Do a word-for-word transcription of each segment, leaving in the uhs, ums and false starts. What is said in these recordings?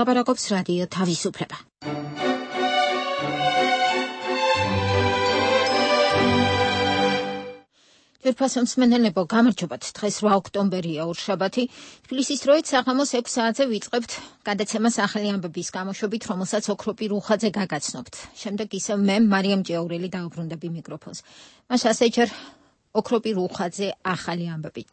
ლაპარაკობს რადიო თავისუფლება. Ძვირფასო მსმენელებო, გამარჯობათ. დღეს რვა ოქტომბერია, ორშაბათი. თბილისის დროით საღამოს ექვს საათზე ვიწყებთ გადაცემას ახალი ამბების გამოშვებით, რომელსაც ოქროპი რუხაძე გაგაცნობთ. შემდეგ ისევ მე, მარიამ ჭიაურელი, დაუბრუნდები მიკროფონს. მას ასე ჯერ ოქროპი რუხაძე ახალი ამბებით.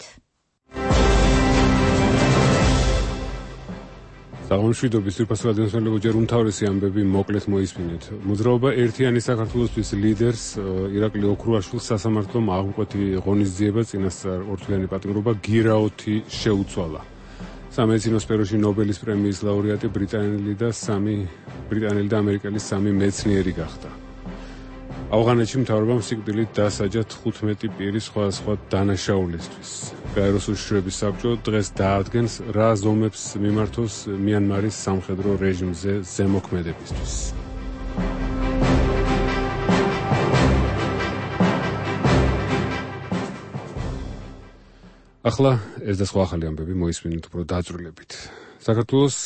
საღამოშვიდობის ძვირფასო რადიოსმენელებო, ჯერ უმთავრესი ამბები მოკლედ მოისმინეთ. მოძრაობა ერთიანი საქართველოსთვის ლიდერს ირაკლი ოქრუაშვილს სასამართლომ აღმკვეთი ღონისძიება წინასწარ ორთვიანი პატიმრობა გირაოთი შეუცვალა. სამედიცინო სფეროში ნობელის პრემიის ლაურეატი ბრიტანელი და სამი ბრიტანელი და ამერიკელი სამი მეცნიერი გახდა. ავღანეთში მთავრობამ სიკვდილით დასაჯა თხუთმეტი პირი სხვადასხვა დანაშაულისთვის. გაეროს უშიშროების საბჭო დღეს დაადგენს, რა ზომებს მიმართოს მიანმარის სამხედრო რეჟიმზე ზემოქმედებისთვის. ახლა ეს და სხვა ახალი ამბები მოისმინეთ უფრო დაწვრილებით. საქართველოს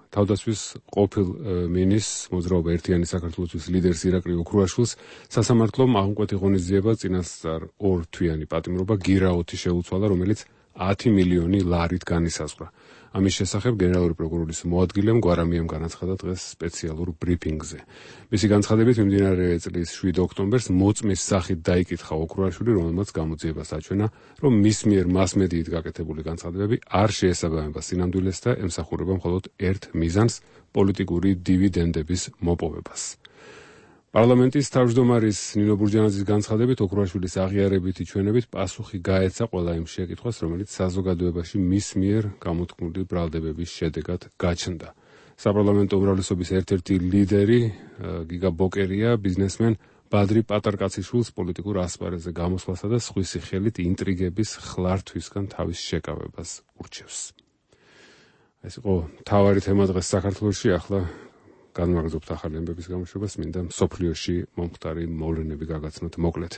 თავდაცვის ყოფილ მინის მოძრაობა ერთიანი საქართველოსთვის ლიდერს ირაკლი ოქრუაშვილს სასამართლომ აღმკვეთი ღონისძიება წინასწარ ორთვიანი პატიმრობა გირაოთი შეუცვალა, რომელიც ათი მილიონი ლარით განისაზღვრა. ამის შესახებ გენერალური პროკურორის მოადგილემ გვარამიამ განაცხადა დღეს სპეციალურ ბრიფინგზე. მისი განცხადებით მიმდინარე წლის შვიდ ოქტომბერს მოწმის სახით დაიკითხა ოქრუაშვილი, რომელმაც გამოძიებას აჩვენა, რომ მის მიერ მასმედიით გაკეთებული განცხადებები არ შეესაბამება სინამდვილეს და ემსახურება მხოლოდ ერთ მიზანს, პოლიტიკური დივიდენდების მოპოვებას. პარლამენტის თავმჯდომარის ნინო ბურჯანაძის განცხადებით ოქრუაშვილის აღიარებითი ჩვენებით პასუხი გაეცა ყველა იმ შეკითხვას, რომელიც საზოგადოებაში მის მიერ გამოთქმული ბრალდებების შედეგად გაჩნდა. საპარლამენტო უმრავლესობის ერთ-ერთი ლიდერი გიგა ბოკერია ბიზნესმენ ბადრი პატარკაციშვილს პოლიტიკურ ასპარეზზე გამოსვლასა და სხვისი ხელით ინტრიგების ხლართვისგან თავის შეკავებას ურჩევს. ეს იყო მთავარი თემა დღეს საქართველოში. ახლა განმაგრძობთ ახალი ამბების გამოშვებას, მინდა მსოფლიოში მომხდარი მოვლენები გაგაცნოთ მოკლედ.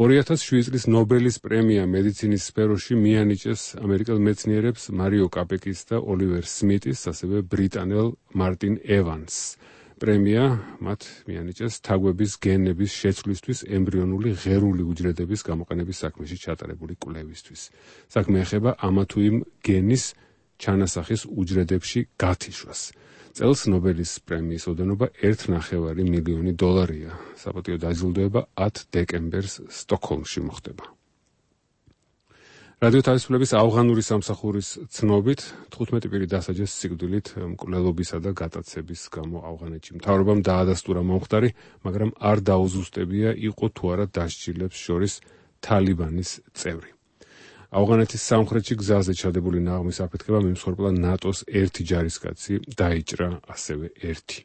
ორი ათას შვიდი წლის ნობელის პრემია მედიცინის სფეროში მიანიჭეს ამერიკელ მეცნიერებს მარიო კაპეკის და ოლივერ სმიტის, ასევე ბრიტანელ მარტინ ევანსს. პრემია მათ მიანიჭეს თაგვების გენების შეცვლისთვის ემბრიონული ღერული უჯრედების გამოყენების საქმეში ჩატარებული კვლევისთვის. საქმე ეხება ამა თუ იმ გენის ჩანასახის უჯრედებში გათიშვას. წელს ნობელის პრემიის ოდენობა ერთ ნახევარი მილიონი დოლარია. საპატიო დაჯილდოება ათ დეკემბერს სტოკჰოლმში მოხდება. რადიო თავისუფლების ავღანური სამსახურის ცნობით თხუთმეტი პირი დასაჯეს სიკვდილით მკვლელობისა და გატაცების გამო ავღანეთში. მთავრობამ დაადასტურა მომხდარი, მაგრამ არ დაუზუსტებია იყო თუ არა დასჯილებს შორის თალიბანის წევრი. ავღანეთის სამხრეთში გზაზე ჩადებული ნაღმის აფეთქება მიმსხვერპლა ნატოს ერთი ჯარისკაცი დაიჭრა ასევე ერთი.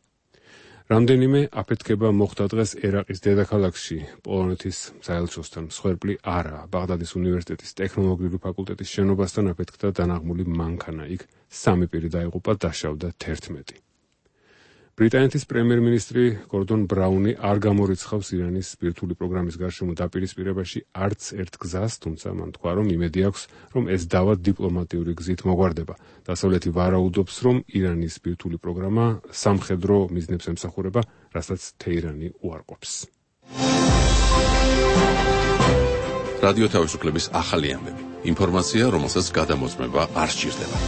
რამდენიმე აფეთქება მოხდა დღეს ერაყის დედაქალაქში, პოლონეთის საელჩოსთან. მსხვერპლი არაა. ბაღდადის უნივერსიტეტის ტექნოლოგიური ფაკულტეტის შენობასთან აფეთქდა დანაღმული მანქანა. იქ სამი პირი დაიღუპა, დაშავდა თერთმეტი. ბრიტანეთის პრემიერ-მინისტრი გორდონ ბრაუნი არ გამორიცხავს ირანის სპირტული პროგრამის გარშემო დაპირისპირებაში არც ერთ გზას, თუმცა მან თქვა, რომ იმედი აქვს, რომ ეს დავა დიპლომატიური გზით მოგვარდება. დასავლეთი ვარაუდობს, რომ ირანის სპირტული პროგრამა სამხედრო მიზნებს ემსახურება, რასაც თეირანი უარყოფს. რადიო თავისუფლების ახალი ამბები. ინფორმაცია, რომელსაც გადამოწმება არ სჭირდება.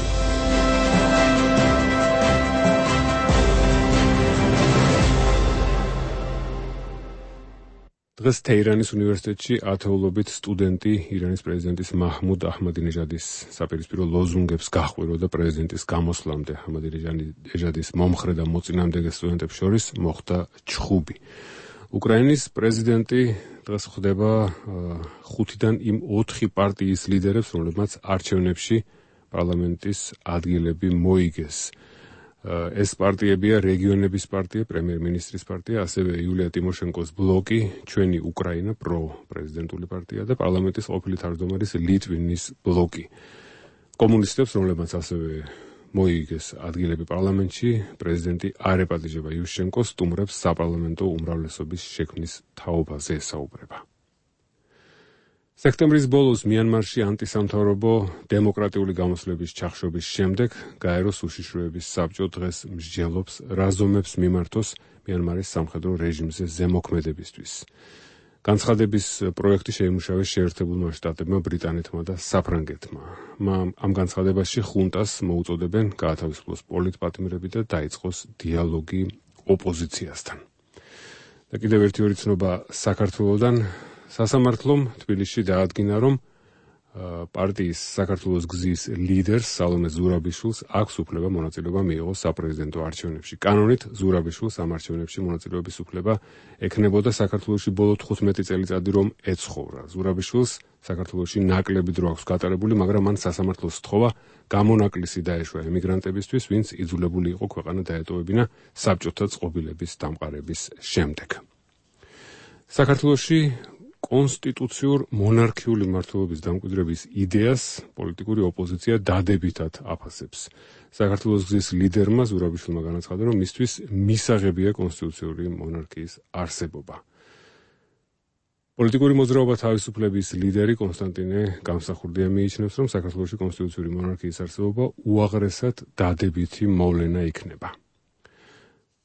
დღეს თეირანის უნივერსიტეტში ათეულობით სტუდენტი ირანის პრეზიდენტის მაჰმუდ აჰმადინეჟადის საპირისპირო ლოზუნგებს გაჰყვიროდა პრეზიდენტის გამოსვლამდე. აჰმადინეჟადის მომხრე და მოწინააღმდეგე სტუდენტებს შორის მოხდა ჩხუბი. უკრაინის პრეზიდენტი დღეს ხვდება ხუთიდან იმ ოთხი პარტიის ლიდერებს, რომლებმაც არჩევნებში პარლამენტის ადგილები მოიგეს. ეს პარტიებია რეგიონების პარტია, პრემიერ-მინისტრის პარტია, ასევე იულია ტიმოშენკოს ბლოკი, ჩვენი უკრაინა, პრო-პრეზიდენტული პარტია და პარლამენტის ყოფილი თავმჯდომარის ლიტვინის ბლოკი. კომუნისტებს, რომლებმაც ასევე მოიგეს ადგილები პარლამენტში, პრეზიდენტი არ ეპატიჟება იუშენკოს, სტუმრებს საპარლამენტო უმრავლესობის შექმნის თაობაზე ესაუბრება. სექტემბრის ბოლოს მიანმარში ანტისამთავრობო დემოკრატიული გამოსვლების ჩახშობის შემდეგ გაეროს უშიშროების საბჭო დღეს მსჯელობს რაზომებს მიმართოს მიანმარის სამხედრო რეჟიმზე ზემოქმედებისთვის. განცხადების პროექტი შეიმუშავეს შეერთებულმა შტატებმა, ბრიტანეთმა და საფრანგეთმა. ამ განცხადებაში ხუნტას მოუწოდებენ გაათავისუფლოს პოლიტპატიმრები და დაიწყოს დიალოგი ოპოზიციასთან. და კიდევ ერთი ორი ცნობა საქართველოდან. სასამართლომ თბილისში დაადგინა, რომ პარტიის საქართველოს გზის ლიდერს სალომე ზურაბიშვილს აქვს უფლება მონაწილეობა მიიღოს საპრეზიდენტო არჩევნებში. კანონით ზურაბიშვილს ამ არჩევნებში მონაწილეობის უფლება ექნებოდა საქართველოში ბოლო თხუთმეტი წელიწადი რომ ეცხოვრა. ზურაბიშვილს საქართველოში ნაკლები დრო აქვს გატარებული, მაგრამ მან სასამართლოს სთხოვა გამონაკლისი დაეშვა ემიგრანტებისთვის, ვინც იძულებული იყო ქვეყანა დაეტოვებინა საბჭოთა წყობილების დამყარების შემდეგ. საქართველოში კონსტიტუციურ მონარქიული მმართველობის დამკვიდრების იდეას პოლიტიკური ოპოზიცია დადებითად აფასებს. საქართველოს გზის ლიდერმა ზურაბიშვილმა განაცხადა, რომ მისთვის მისაღებია კონსტიტუციური მონარქიის არსებობა. პოლიტიკური მოძრაობა თავისუფლების ლიდერი კონსტანტინე გამსახურდია მიიჩნევს, რომ საქართველოში კონსტიტუციური მონარქიის არსებობა უაღრესად დადებითი მოვლენა იქნება.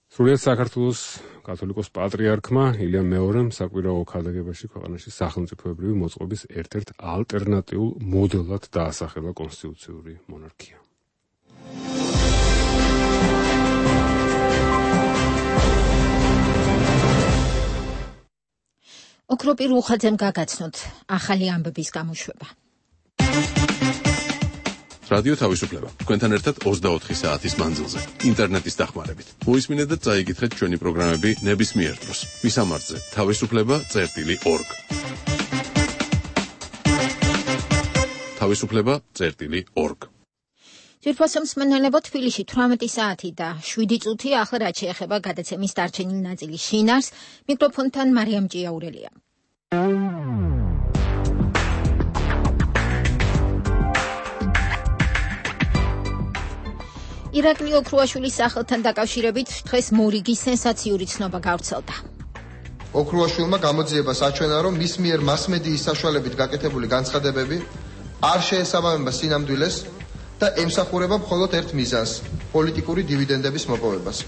სრულიად საქართველოს კათოლიკოს პატრიარქმა ილიამ მეორემ საკვირაო ქადაგებაში ქვეყანაში სახელმწიფოებრივი მოწყობის ერთ-ერთ ალტერნატიულ მოდელად დაასახელა კონსტიტუციური მონარქია. ოქროპი რუხაძემ გაგაცნოთ ახალი ამბების გამოშვება. რადიო თავისუფლება. თქვენთან ერთად ოცდაოთხი საათის მანძილზე, ინტერნეტის დახმარებით. მოისმინეთ და წაიკითხეთ ჩვენი პროგრამები ნებისმიერ დროს. მისამართზე თავისუფლება წერტილი ორგ. თავისუფლება წერტილი ორგ. ძვირფასო მსმენელებო, თბილისში თვრამეტი საათი და შვიდი წუთი. ახლა რაც შეეხება გადაცემის დარჩენილი ნაწილის შინაარს, მიკროფონთან მარიამ ჭიაურელია. ირაკლი ოქრუაშვილის სახელთან დაკავშირებით დღეს მორიგი სენსაციური ცნობა გავრცელდა. ოქრუაშვილმა გამოძიებას აჩვენა, რომ მის მიერ მასმედიის საშუალებით გაკეთებული განცხადებები არ შეესაბამება სინამდვილეს და ემსახურება მხოლოდ ერთ მიზანს, პოლიტიკური დივიდენდების მოპოვებას.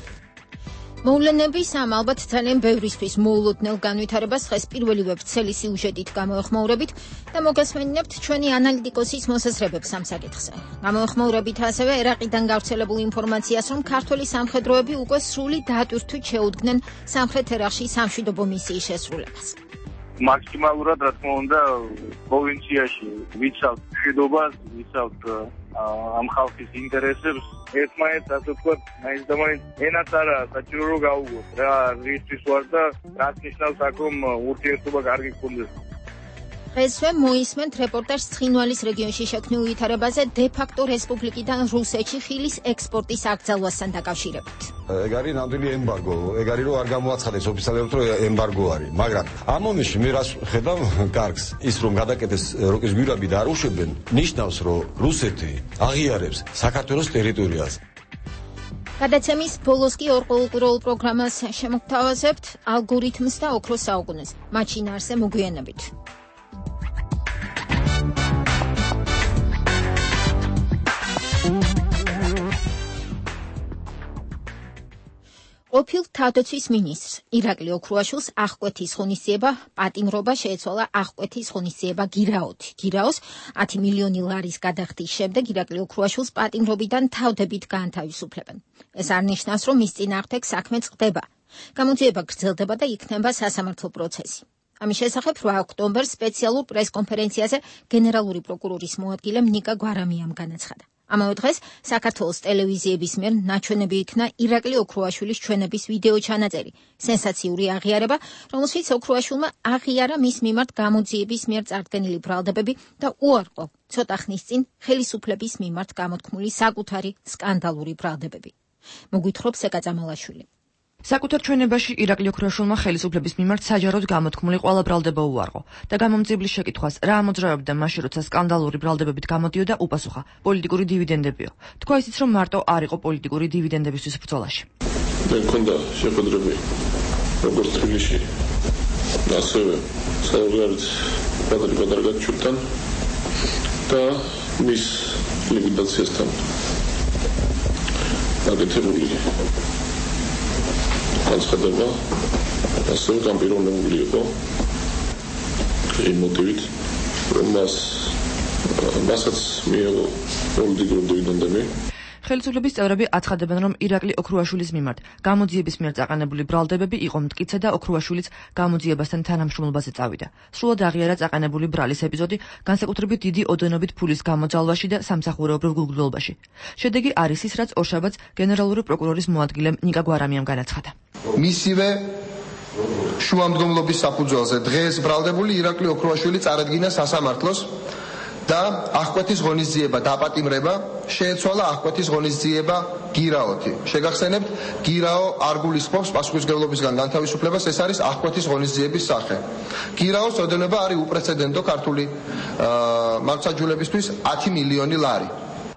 მოვლენების ამ ალბათ ძალიან ბევრისთვის მოულოდნელ განვითარებას დღეს პირველივე ვრცელი სიუჟეტით გამოეხმაურებით და მოგესმენინებთ ჩვენი ანალიტიკოსის მოსაზრებებს ამ საკითხზე. გამოეხმაურებით ასევე ერაყიდან გავრცელებულ ინფორმაციას, რომ ქართველი სამხედროები უკვე სრული დატვირთვით შეუდგნენ სამხრეთ ერაყში სამშვიდობო მისიის შესრულებას. მაქსიმალურად, რა თქმა უნდა, პროვინციაში ვიცავთ მშვიდობას, ვიცავთ ამ ხალხის ინტერესებს, ერთმანეთს ასე ვთქვათ, მაინც და მაინც ენაც არა საჭირო რომ გაუგოთ რა რისთვის ვარ და რაც ნიშნავს აქ რომ ურთიერთობა კარგი გქონდეს. დღესვე მოისმენთ რეპორტაჟს ცხინვალის რეგიონში შექმნილ ვითარებაზე დე-ფაქტო რესპუბლიკიდან რუსეთში ხილის ექსპორტის აკრძალვასთან დაკავშირებით. ეგ არის ნამდვილი ემბარგო, ეგ არის რომ არ გამოაცხადეს ოფიციალურად რომ ემბარგო არის, მაგრამ ამ მომენტში მე რას ხედავ კარგს, ის რომ გადაკეთეს როკის გვირაბი და არ უშვებენ, ნიშნავს რომ რუსეთი აღიარებს საქართველოს ტერიტორიას. გადაცემის ბოლოს კი ორ კულტურულ პროგრამას შემოგთავაზებთ ალგორითმს და ოქროს საუკუნეს. მათ შინაარსზე მოგვიანებით. ყოფილ თავდაცვის მინისტრს ირაკლი ოქრუაშვილს აღკვეთის ღონისძიება პატიმრობა შეეცვალა აღკვეთის ღონისძიება გირაოთი. გირაოს ათი მილიონი ლარის გადახდის შემდეგ ირაკლი ოქრუაშვილს პატიმრობიდან თავდებით გაანთავისუფლებენ. ეს არ ნიშნავს, რომ მის წინააღმდეგ საქმე წყდება. გამოძიება გრძელდება და იქნება სასამართლო პროცესი. ამის შესახებ რვა ოქტომბერს სპეციალურ პრესკონფერენციაზე გენერალური პროკურორის მოადგილემ ნიკა გვარამიამ განაცხადა. ამავე დღეს საქართველოს ტელევიზიების მიერ ნაჩვენები იქნა ირაკლი ოქრუაშვილის ჩვენების ვიდეო ჩანაწერი, სენსაციური აღიარება, რომელშიც ოქრუაშვილმა აღიარა მის მიმართ გამოძიების მიერ წარდგენილი ბრალდებები და უარყო ცოტა ხნის წინ ხელისუფლების მიმართ გამოთქმული საკუთარი სკანდალური ბრალდებები. მოგვითხრობს ეკა წამალაშვილი. საკუთარ ჩვენებაში ირაკლი ოქრუაშვილმა ხელისუფლების მიმართ საჯაროდ გამოთქმული ყველა ბრალდება უარყო და გამომძიებლის შეკითხვას რა ამოძრავებდა მაშინ, როცა სკანდალური ბრალდებებით გამოდიოდა, უპასუხა: პოლიტიკური დივიდენდებიო. თქვა ისიც, რომ მარტო არ იყო პოლიტიკური დივიდენდებისთვის ბრძოლაში. მე მქონდა შეხვედრები როგორც თბილისში, ასევე საზღვარგარეთ პატარ-პატარ გაჩვენთან და მის ლიკვიდაციასთან გაკეთებული განცხადება ასევე განპირობებული იყო იმ მოტივით, რომ მას მასაც მიიღო პოლიტიკური დივიდენდები. ხელისუფლების წევრები აცხადებენ, რომ ირაკლი ოქრუაშვილის მიმართ გამოძიების მიერ წაყენებული ბრალდებები იყო მტკიცე და ოქრუაშვილიც გამოძიებასთან თანამშრომლობაზე წავიდა. სრულად აღიარა წაყენებული ბრალის ეპიზოდი, განსაკუთრებით დიდი ოდენობით ფულის გამოძალვაში და სამსახურეობრივ გულგრილობაში. შედეგი არის ის, რაც ორშაბათს გენერალური პროკურორის მოადგილემ ნიკა გვარამიამ განაცხადა. მისივე შუამდგომლობის საფუძველზე დღეს ბრალდებული ირაკლი ოქრუაშვილი წარადგინა სასამართლოს და აღკვეთის ღონისძიება დაპატიმრება შეეცვალა აღკვეთის ღონისძიება გირაოთი. შეგახსენებთ, გირაო არ გულისხმობს პასუხისმგებლობისგან განთავისუფლებას, ეს არის აღკვეთის ღონისძიების სახე. გირაოს ოდენობა არის უპრეცედენტო ქართული მართლმსაჯულებისთვის ათი მილიონი ლარი.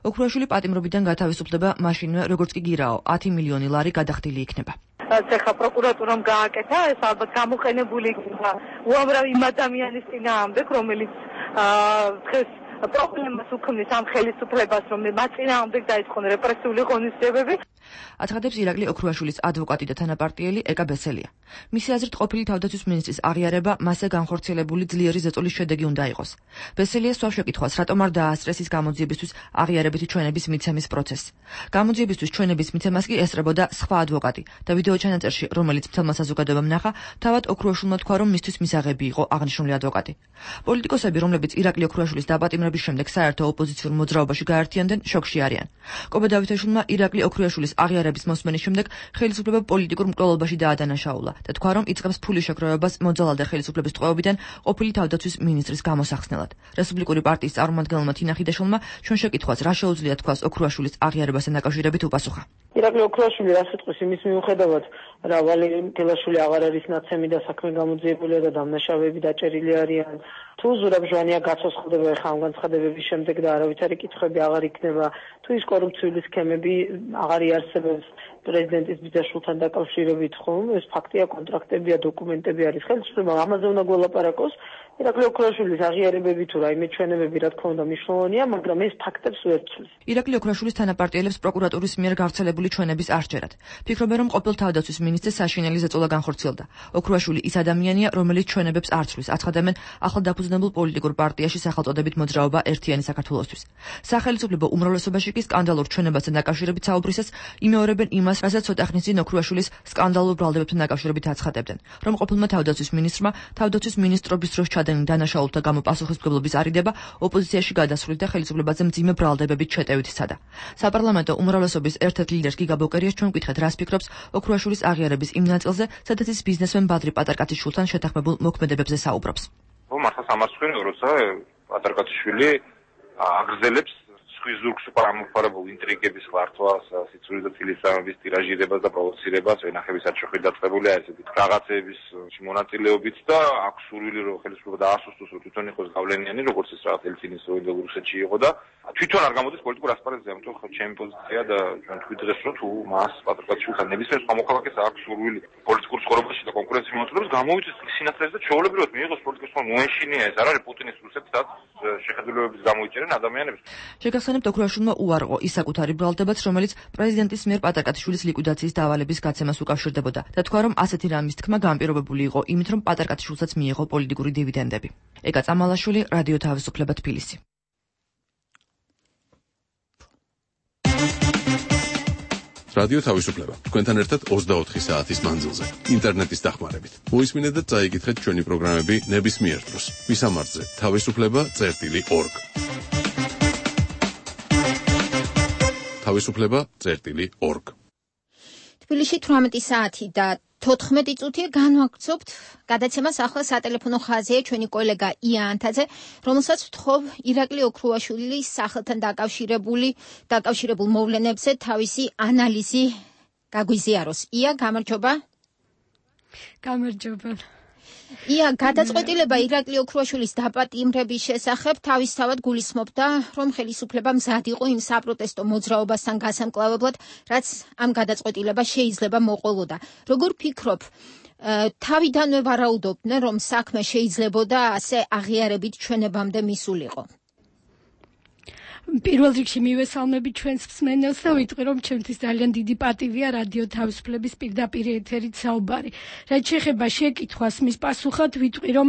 ოქრუაშვილი პატიმრობიდან გათავისუფლდება მაშინვე, როგორც კი გირაო ათი მილიონი ლარი გადახდილი იქნება. ეხლა პროკურატურამ გააკეთა, ეს ალბათ გამოყენებული იქნება უამრავი იმ ადამიანის წინააღმდეგ, რომელიც დღეს პრობლემას უქმნის ამ ხელისუფლებას, რომ მათ წინააღმდეგ დაიწყონ რეპრესიული ღონისძიებები. აცხადებს ირაკლი ოქრუაშვილის ადვოკატი და თანაპარტიელი ეკა ბესელია. მისი აზრით, ყოფილი თავდაცვის მინისტრის აღიარება მასზე განხორციელებული ძლიერი ზეწოლის შედეგი უნდა იყოს. ბესელია სვავს შეკითხვას, რატომ არ დაასწრეს ის გამოძიებისთვის აღიარებითი ჩვენების მიცემის პროცესს. გამოძიებისთვის ჩვენების მიცემას კი ესწრებოდა სხვა ადვოკატი და ვიდეო ჩანაწერში, რომელიც მთელმა საზოგადოებამ ნახა, თავად ოქრუაშვილმა თქვა, რომ მისთვის მისაღები იყო აღნიშნული ადვოკატი. პოლიტიკოსები, რომლებიც ირაკლი ოქრუაშვილის დაპატიმრების შემდეგ საერთო ოპოზიციურ მოძრაობაში გაერთიანდნენ, შოკში არიან. კობა დავითაშვილმა ირაკლი ოქრუაშვილის აღიარების მოსმენის შემდეგ ხელისუფლება პოლიტიკურ მკვლელობაში დაადანაშაულა და თქვა, რომ იწყებს ფულის შეგროვებას მოძალადე ხელისუფლების ტყვეობიდან ყოფილი თავდაცვის მინისტრის გამოსახსნელად. რესპუბლიკური პარტიის წარმომადგენელმა თინა ხიდაშვილმა ჩვენ შეკითხვას, რა შეუძლია თქვას ოქრუაშვილის აღიარებასთან დაკავშირებით უპასუხა. ირაკლი ოქრუაშვილი რა სიტყვის იმის მიუხედავად, რა ვალერი თელაშვილი აღარ არის ნაცემი და საქმე გამოძიებულია და დამნაშავეები დაჭერილი არიან. თუ ზურაბ ჟვანია გაცოცხლდება ხა ამ განცხადებების შემდეგ და არავითარი კითხვები აღარ იქნება, თუ ის კორუფციული სქემები აღარ იარსებებს პრეზიდენტის ბიძაშვილთან დაკავშირებით, ხომ? ეს ფაქტია, კონტრაქტებია, დოკუმენტები არის. ხელისუფლება ამაზე უნდა გველაპარაკოს. ირაკლი ოქრუაშვილის აღიარებები თუ რაიმე ჩვენებები რა თქმა უნდა მნიშვნელოვანია, მაგრამ ეს ფაქტებს ვერ ცვლის. ირაკლი ოქრუაშვილის თანაპარტიელებს პროკურატურის მიერ გავრცელებული ჩვენების არ სჯერათ. ფიქრობენ, რომ ყოფილ თავდაცვის მინისტრს საშინელი ზეწოლა განხორციელდა. ოქრუაშვილი ის ადამიანია, რომელიც ჩვენებებს არ ცვლის. აცხადებენ ახლად დაფუძნებულ პოლიტიკურ პარტიაში სახელწოდებით მოძრაობა ერთიანი საქართველოსთვის. სახელმწიფო უმრავლესობაში კი სკანდალურ ჩვენებასთან დაკავშირებით საუბრისას იმეორებენ იმას, რასაც ცოტა ხნის წინ ოქრუაშვილის სკანდალურ ბრალდებებთან დაკავშირებით აცხადებდნენ, რომ ყოფილმა თავდაცვის მინისტრმა თავდაცვის მინისტრობის დროს ჩადენილ დანაშაულთა გამო პასუხისმგებლობის არიდება ოპოზიციაში გადასვლით და ხელისუფლებაზე მძიმე ბრალდებებით შეტევით სცადა. საპარლამენტო უმრავლესობის ერთ-ერთ ლიდერს გიგა ბოკერიას ჩვენ ვკითხეთ, რას ფიქრობს ოქრუაშვილის აღიარების იმ ნაწილზე, სადაც ის ბიზნესმენ ბადრი პატარკაციშვილთან შეთანხმებულ მოქმედებებზე საუბრობს. მართლა სამარცხვინო, როცა პატარკაციშვილი აგრძელებს სხვის ზურგს უკანამოფარებულ ინტრიგების ხლართვას, სიცრუის და თილისწამების ტირაჟირებას და პროვოცირებას, ვენახების არჩევით დაწყებული არის ესეთი რაღაცეების მონაწილეობით და აქვს სურვილი რომ ხელისუფლება დაასუსტოს, რომ თვითონ იყოს გავლენიანი, როგორც ეს რაღაც ელცინის რუსეთში იყო და თვითონ არ გამოდის პოლიტიკურ ასპარეზზე, ამიტომ ხო ჩემი პოზიცია და ჩვენ თქვით დღეს რომ თუ მას პატრიკაშვილთან ნებისმიერ სხვა მოქალაქეს აქვს სურვილი პოლიტიკურ ცხოვრებაში და კონკურენციის მონაწილეობას გამოვიდეს სინათლეზე და ჩვეულებრივად მიიღოს პოლიტიკის სხვა მოენშინია ეს არ არის პუტინის რუსეთსაც შეხედულებების გამოიჭერენ ადამიანებს. შეგახსენებთ, ოქრუაშვილმა უარყო ის საკუთარი ბრალდებაც, რომელიც პრეზიდენტის მიერ პატარკაციშვილის ლიკვიდაციის დავალების გაცემას უკავშირდებოდა და თქვა, რომ ასეთი რამის თქმა განპირობებული იყო იმით, რომ პატარკაციშვილსაც მიიღო პოლიტიკური დივიდენდები. ეკა წამალაშვილი, რადიო თავისუფლება, თბილისი. რადიო თავისუფლება. თქვენთან ერთად ოცდაოთხი საათის მანძილზე. ინტერნეტის დახმარებით. მოისმინეთ და წაიკითხეთ ჩვენი პროგრამები ნებისმიერ დროს. ვისამართზე თავისუფლება წერტილი ორგ. თავისუფლება წერტილი ორგ. თბილისში თვრამეტი საათი და თოთხმეტი წუთია განვაგრძობთ გადაცემას ახლა სატელეფონო ხაზია ჩვენი კოლეგა ია ანთაძე, რომელსაც ვთხოვ ირაკლი ოქრუაშვილის სახელთან დაკავშირებული დაკავშირებულ მოვლენებზე თავისი ანალიზი გაგვიზიაროს. ია, გამარჯობა. გამარჯობა. ია, გადაწყვეტილება ირაკლი ოქრუაშვილის დაპატიმრების შესახებ თავისთავად გულისხმობდა, რომ ხელისუფლება მზად იყო იმ საპროტესტო მოძრაობასთან გასამკლავებლად, რაც ამ გადაწყვეტილებას შეიძლება მოყოლოდა. როგორ ფიქრობ, თავიდანვე ვარაუდობდნენ, რომ საქმე შეიძლებოდა ასე აღიარებით ჩვენებამდე მისულიყო. პირველ რიგში მივესალმები ჩვენს მსმენელს და ვიტყვი, რომ ჩემთვის ძალიან დიდი პატივია რადიო თავისუფლების პირდაპირ ეთერით საუბარი. რაც შეეხება შეკითხვას, მის პასუხად ვიტყვი, რომ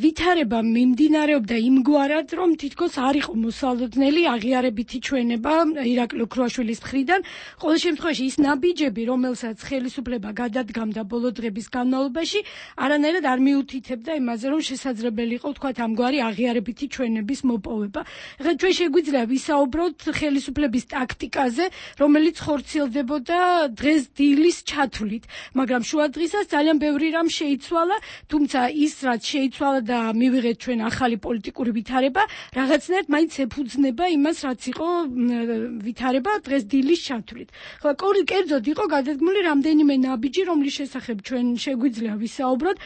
ვითარება მიმდინარეობდა იმგვარად, რომ თითქოს არ იყო მოსალოდნელი აღიარებითი ჩვენება ირაკლი ოქრუაშვილის მხრიდან. ყოველ შემთხვევაში ის ნაბიჯები, რომელსაც ხელისუფლება გადადგამდა ბოლო დღების განმავლობაში, არანაირად არ მიუთითებდა იმაზე, რომ შესაძლებელი იყო თქვათ ამგვარი აღიარებითი ჩვენების მოპოვება. ეხლა ჩვენ გვიძლია ვისაუბროთ ხელისუფლების ტაქტიკაზე, რომელიც ხორციელდებოდა დღეს დილის ჩათვლით, მაგრამ შუა დღისას ძალიან ბევრი რამ შეიცვალა, თუმცა ის რაც შეიცვალა და მივიღეთ ჩვენ ახალი პოლიტიკური ვითარება, რაღაცნაირად მაინც ეფუძნება იმას, რაც იყო ვითარება დღეს დილის ჩათვლით. ხო, კერძოდ იყო გადადგმული რამდენიმე ნაბიჯი, რომლის შესახებ ჩვენ შეგვიძლია ვისაუბროთ.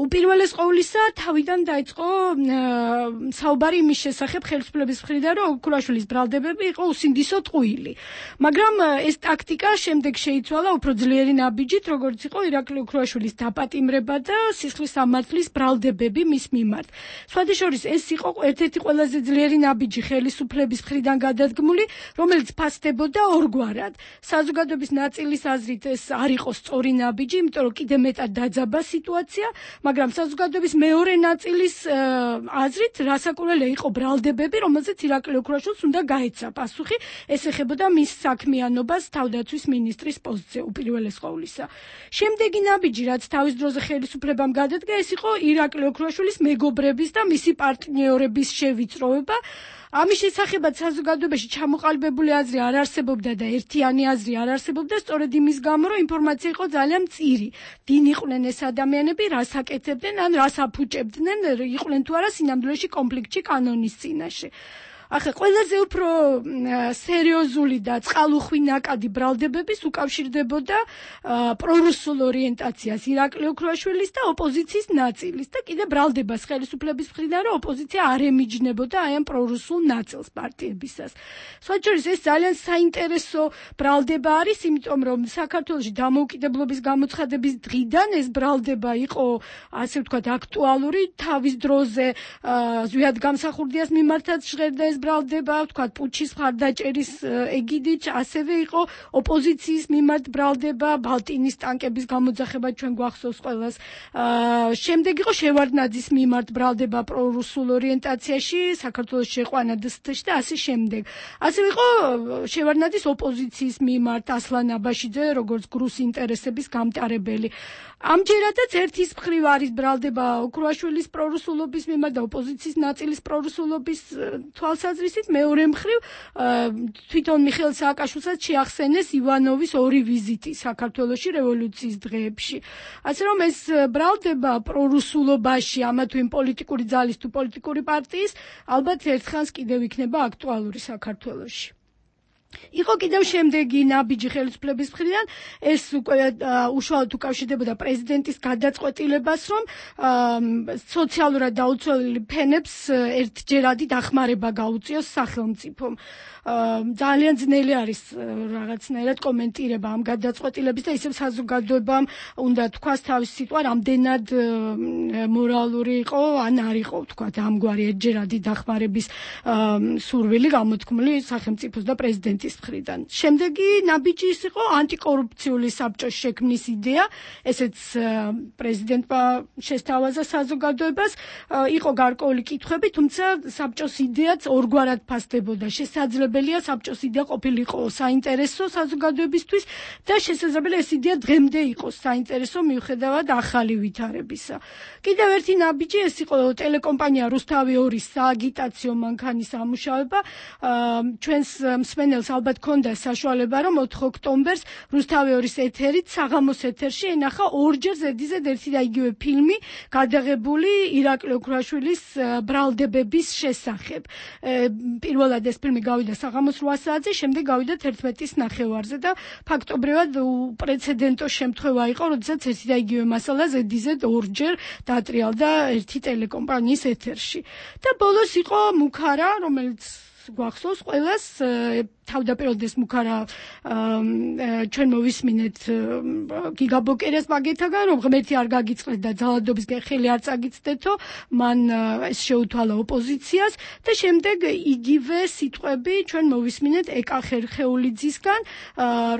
უპირველეს ყოვლისა, თავიდან დაიწყო საუბარი იმის შესახებ ხელისუფლების მხრიდან, რომ ოქრუაშვილის ბრალდებები იყო უსინდისო ტყუილი. მაგრამ ეს ტაქტიკა შემდეგ შეიცვალა უფრო ძლიერი ნაბიჯით, როგორც იყო ირაკლი ოქრუაშვილის დაპატიმრება და სისხლის სამართლის ბრალდებები მის მიმართ. სხვადასხვა ეს იყო ერთ-ერთი ყველაზე ძლიერი ნაბიჯი ხელისუფლების მხრიდან გადადგმული, რომელიც ფასდებოდა ორგვარად. საზოგადოების ნაწილის აზრით ეს არ იყო სწორი ნაბიჯი, იმიტომ რომ კიდე მეტად დაძაბა სიტუაცია, მაგრამ საზოგადოების მეორე ნაწილის აზრით რასაკვირველია იყო ბრალდებები, რომელზეც ირაკლი ოქრუაშვილს უნდა გაეცა პასუხი, ეს ეხებოდა მის საქმიანობას თავდაცვის მინისტრის პოსტზე უპირველეს ყოვლისა. შემდეგი ნაბიჯი, რაც თავის დროზე ხელისუფლებამ გადადგა, ეს იყო ირაკლი ოქრუაშვილის მეგობრების და მისი პარტნიორების შევიწროება. ამის შესახებაც საზოგადოებაში ჩამოყალიბებული აზრი არ არსებობდა და ერთიანი აზრი არ არსებობდა, სწორედ იმის გამო, რომ ინფორმაცია იყო ძალიან მწირი. ვინ იყვნენ ეს ადამიანები, რას აკეთებდნენ, ან რას აფუჭებდნენ, იყვნენ თუ არა სინამდვილეში კონფლიქტში კანონის წინაშე. ახლა ყველაზე უფრო სერიოზული და წყალუხვი ნაკადი ბრალდებების უკავშირდებოდა პრორუსულ ორიენტაციას ირაკლი ოქრუაშვილის და ოპოზიციის ნაწილის და კიდე ბრალდებას ხელისუფლების მხრიდან, რომ ოპოზიცია არ ემიჯნებოდა აი ამ პრორუსულ ნაწილს პარტიებისას. სხვაჩორის ეს ძალიან საინტერესო ბრალდება არის, იმიტომ რომ საქართველოში დამოუკიდებლობის გამოცხადების დღიდან ეს ბრალდება იყო, ასე ვთქვათ, აქტუალური, თავის დროზე ზვიად გამსახურდიას მიმართაც ჟღერდა ეს ბრალდება, ვთქვათ, პუჩის მხარდაჭერის ეგიდით, ასევე იყო ოპოზიციის მიმართ ბრალდება, ბალტინის ტანკების გამოძახება ჩვენ გვახსოვს ყველას. შემდეგ იყო შევარდნაძის მიმართ ბრალდება პრორუსულ ორიენტაციაში, საქართველოს შეყვანა დსთ-ში და ასე შემდეგ. ასევე იყო შევარდნაძის ოპოზიციის მიმართ ასლან აბაშიძე, როგორც გრუს ინტერესების გამტარებელი. ამჯერადაც ერთის მხრივ არის ბრალდება ოქრუაშვილის პრორუსულობის მიმართ და ოპოზიციის ნაწილის პრორუსულობის თვალსაზრისით, მეორე მხრივ თვითონ მიხეილ სააკაშვილსაც შეახსენეს ივანოვის ორი ვიზიტი საქართველოში რევოლუციის დღეებში. ასე რომ ეს ბრალდება პრორუსულობაში, ამა თუ იმ პოლიტიკური ძალის თუ პოლიტიკური პარტიის, ალბათ ერთხანს კიდევ იქნება აქტუალური საქართველოში. იყო კიდევ შემდეგი ნაბიჯი ხელისუფლების მხრიდან, ეს უკვე უშუალოდ უკავშირდებოდა პრეზიდენტის გადაწყვეტილებას, რომ სოციალურად დაუცველი ფენებს ერთჯერადი დახმარება გაუწიოს სახელმწიფომ. ძალიან ძნელი არის რაღაცნაირად კომენტირება ამ გადაწყვეტილების და ისევ საზოგადოებამ უნდა თქვას თავის სიტყვა, რამდენად მორალური იყო, ან არ იყო, ვთქვათ, ამგვარი ერთჯერადი დახმარების სურვილი გამოთქმული სახელმწიფოს და პრეზიდენტის მხრიდან. შემდეგი ნაბიჯი ის იყო ანტიკორუფციული საბჭოს შექმნის იდეა, ესეც პრეზიდენტმა შესთავაზა საზოგადოებას, იყო გარკვეული კითხვები, თუმცა საბჭოს იდეაც ორგვარად ფასდებოდა. შესაძლებელია საბჭოს იდეა ყოფილიყო საინტერესო საზოგადოებისთვის და შესაძლებელია ეს იდეა დღემდე იყოს საინტერესო მიუხედავად ახალი ვითარებისა. კიდევ ერთი ნაბიჯი ეს იყო ტელეკომპანია რუსთავი ორის სააგიტაციო მანქანის ამუშავება. ჩვენს მსმენელს ალბათ ქონდა საშუალება, რომ ოთხ ოქტომბერს რუსთავი ორის ეთერით საღამოს ეთერში ენახა ორჯერ ზედიზედ ერთი და იგივე ფილმი გადაღებული ირაკლი ოქრუაშვილის ბრალდებების შესახებ. პირველად ეს ფილმი გავიდა საღამოს რვა საათზე, შემდეგ გავიდა თერთმეტის ნახევარზე და ფაქტობრივად უპრეცედენტო შემთხვევა იყო, როდესაც ერთი და იგივე მასალა ზედიზედ ორჯერ დატრიალდა ერთი ტელეკომპანიის ეთერში. და ბოლოს იყო მუქარა, რომელიც გვახსოვს ყველას თავდაპირველად ეს მუქარა ჩვენ მოვისმინეთ გიგაბოკერას მაგეთაგან რომ ღმერთი არ გაგიწყდეს და ძალადობისგან ხელი არ წაგიცდეთო მან ეს შეუთვალა ოპოზიციას და შემდეგ იგივე სიტყვები ჩვენ მოვისმინეთ ეკა ხერხეულიძისგან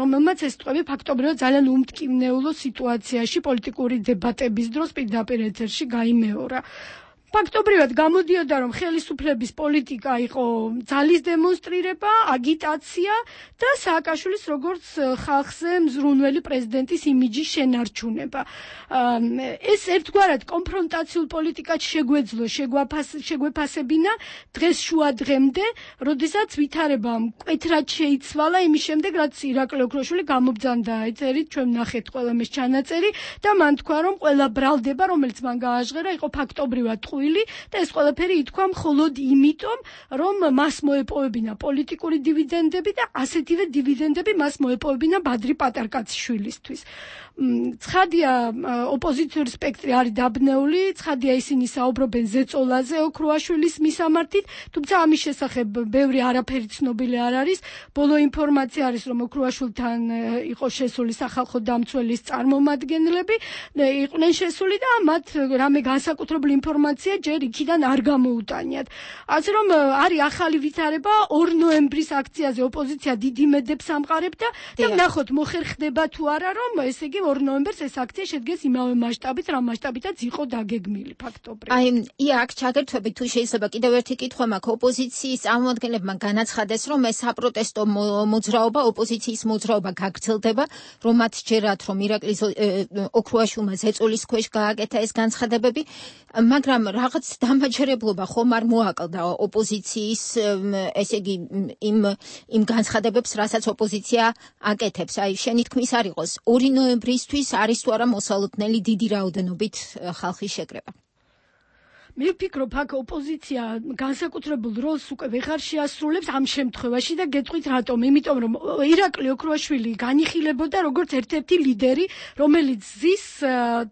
რომელმაც ეს სიტყვები ფაქტობრივად ძალიან უმტკივნეულო სიტუაციაში პოლიტიკური დებატების დროს პირდაპირ ეთერში გაიმეორა ფაქტობრივად გამოდიოდა რომ ხელისუფლების პოლიტიკა იყო ძალის დემონსტრირება, აგიტაცია და სააკაშვილის როგორც ხალხზე მზრუნველი პრეზიდენტის იმიჯის შენარჩუნება. ეს ერთგვარად კონფრონტაციულ პოლიტიკად შეგვეძლო, შეგვეფასებინა დღეს შუა დღემდე, როდესაც ვითარებამ მკვეთრად შეიცვალა იმის შემდეგ, რაც ირაკლი ოქროშვილი გამობძანდა ეთერით, ჩვენ ვნახეთ ყველა მის ჩანაწერი და მან თქვა რომ ყველა ბრალდება, რომელიც მან გააჟღერა, იყო ფაქტობრივად და ეს ყველაფერი ითქვა მხოლოდ იმიტომ, რომ მას მოეპოვებინა პოლიტიკური დივიდენდები და ასეთივე დივიდენდები მას მოეპოვებინა ბადრი პატარკაციშვილისთვის. ცხადია ოპოზიციური სპექტრი არის დაბნეული, ცხადია ისინი საუბრობენ ზეწოლაზე ოქროაშვილის მისამართით, თუმცა ამის შესახებ ბევრი არაფერი ცნობილი არ არის. ბოლო ინფორმაცია არის, რომ ოქროაშვილთან იყო შესული სახალხო დამცველის წარმომადგენლები, იყვნენ შესული და მათ რამე განსაკუთრებული ინფორმაცია ჯერ იქიდან არ გამოუტანიათ. ასე რომ არის ახალი ვითარება, ორი ნოემბრის აქციაზე ოპოზიცია დიდ იმედებს ამყარებდა და ვნახოთ მოხერხდება თუ არა, რომ ესე იგი ორი ნოემბერს ეს აქცია შედგეს იმავე მასშტაბით, რა მასშტაბითაც იყო დაგეგმილი ფაქტობრივად. აი, ია აქ ჩაგერთვებით თუ შეიძლება კიდევ ერთი კითხვა მაქვს ოპოზიციის წარმომადგენლებმა განაცხადეს, რომ ეს საპროტესტო მოძრაობა, ოპოზიციის მოძრაობა გაგრძელდება, რომ მათ ჯერათ, რომ ირაკლი ოქროაშვილმა ზეწოლის ქვეშ გააკეთა ეს განცხადებები, მაგრამ რაღაც დამაჯერებლობა ხომ არ მოაკლდა ოპოზიციის, ესე იგი იმ იმ განცხადებებს, რასაც ოპოზიცია აკეთებს. აი, შენი თქმის არ იყოს ორი ნოემბრისთვის არის თუ არა მოსალოდნელი დიდი რაოდენობით ხალხის შეკრება. მე ვფიქრობ, აქ ოპოზიცია განსაკუთრებულ როლს უკვე ვეღარ შეასრულებს ამ შემთხვევაში და გეტყვით რატომ? იმიტომ რომ ირაკლი ოქროაშვილი განიხილებოდა როგორც ერთ-ერთი ლიდერი, რომელიც ზის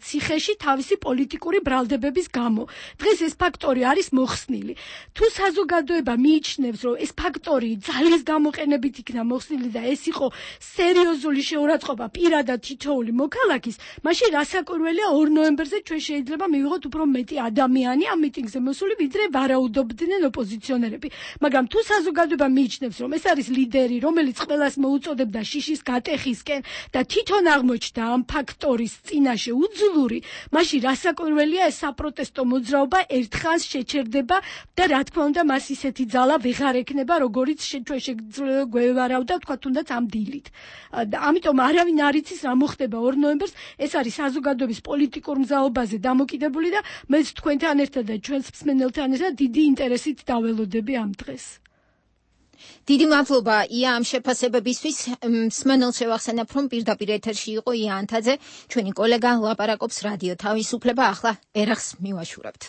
ციხეში თავისი პოლიტიკური ბრალდებების გამო. დღეს ეს ფაქტორი არის მოხსნილი. თუ საზოგადოება მიიჩნევს, რომ ეს ფაქტორი ძალის გამოყენებით იქნა მოხსნილი და ეს იყო სერიოზული შეურაცხყოფა პირადად თითოეული მოქალაქის, მაშინ რასაკვირველია ორი ნოემბერზე ჩვენ შეიძლება მივიღოთ უფრო მეტი ადამიანი ამ მიტინგზე მოსული, ვიდრე ვარაუდობდნენ ოპოზიციონერები. მაგრამ თუ საზოგადოება მიიჩნევს, რომ ეს არის ლიდერი, რომელიც ყველას მოუწოდებდა შიშის გატეხისკენ და თვითონ აღმოჩნდა ამ ფაქტორის წინაშე უძლური, მაშინ რასაკვირველია ეს საპროტესტო მოძრაობა ერთხანს შეჩერდება და რა თქმა უნდა მას ისეთი ძალა ვეღარ ექნება, როგორიც ჩვენ შეგვევარავდა, თქვა თუნდაც ამ დილით. ამიტომ არავინ არ იცის რა მოხდება ორი ნოემბერს, ეს არის საზოგადოების პოლიტიკურ მზაობაზე დამოკიდებული და მეც თქვენთან ერთად და ჩვენს მსმენელთან ერთად დიდი ინტერესით დაველოდები ამ დღეს. დიდი მადლობა ია ამ შეფასებებისთვის. მსმენელს შევახსენებ, რომ პირდაპირ ეთერში იყო ია ანთაძე, ჩვენი კოლეგა ლაპარაკობს რადიო თავისუფლება, ახლა ერახს მივაშურებთ.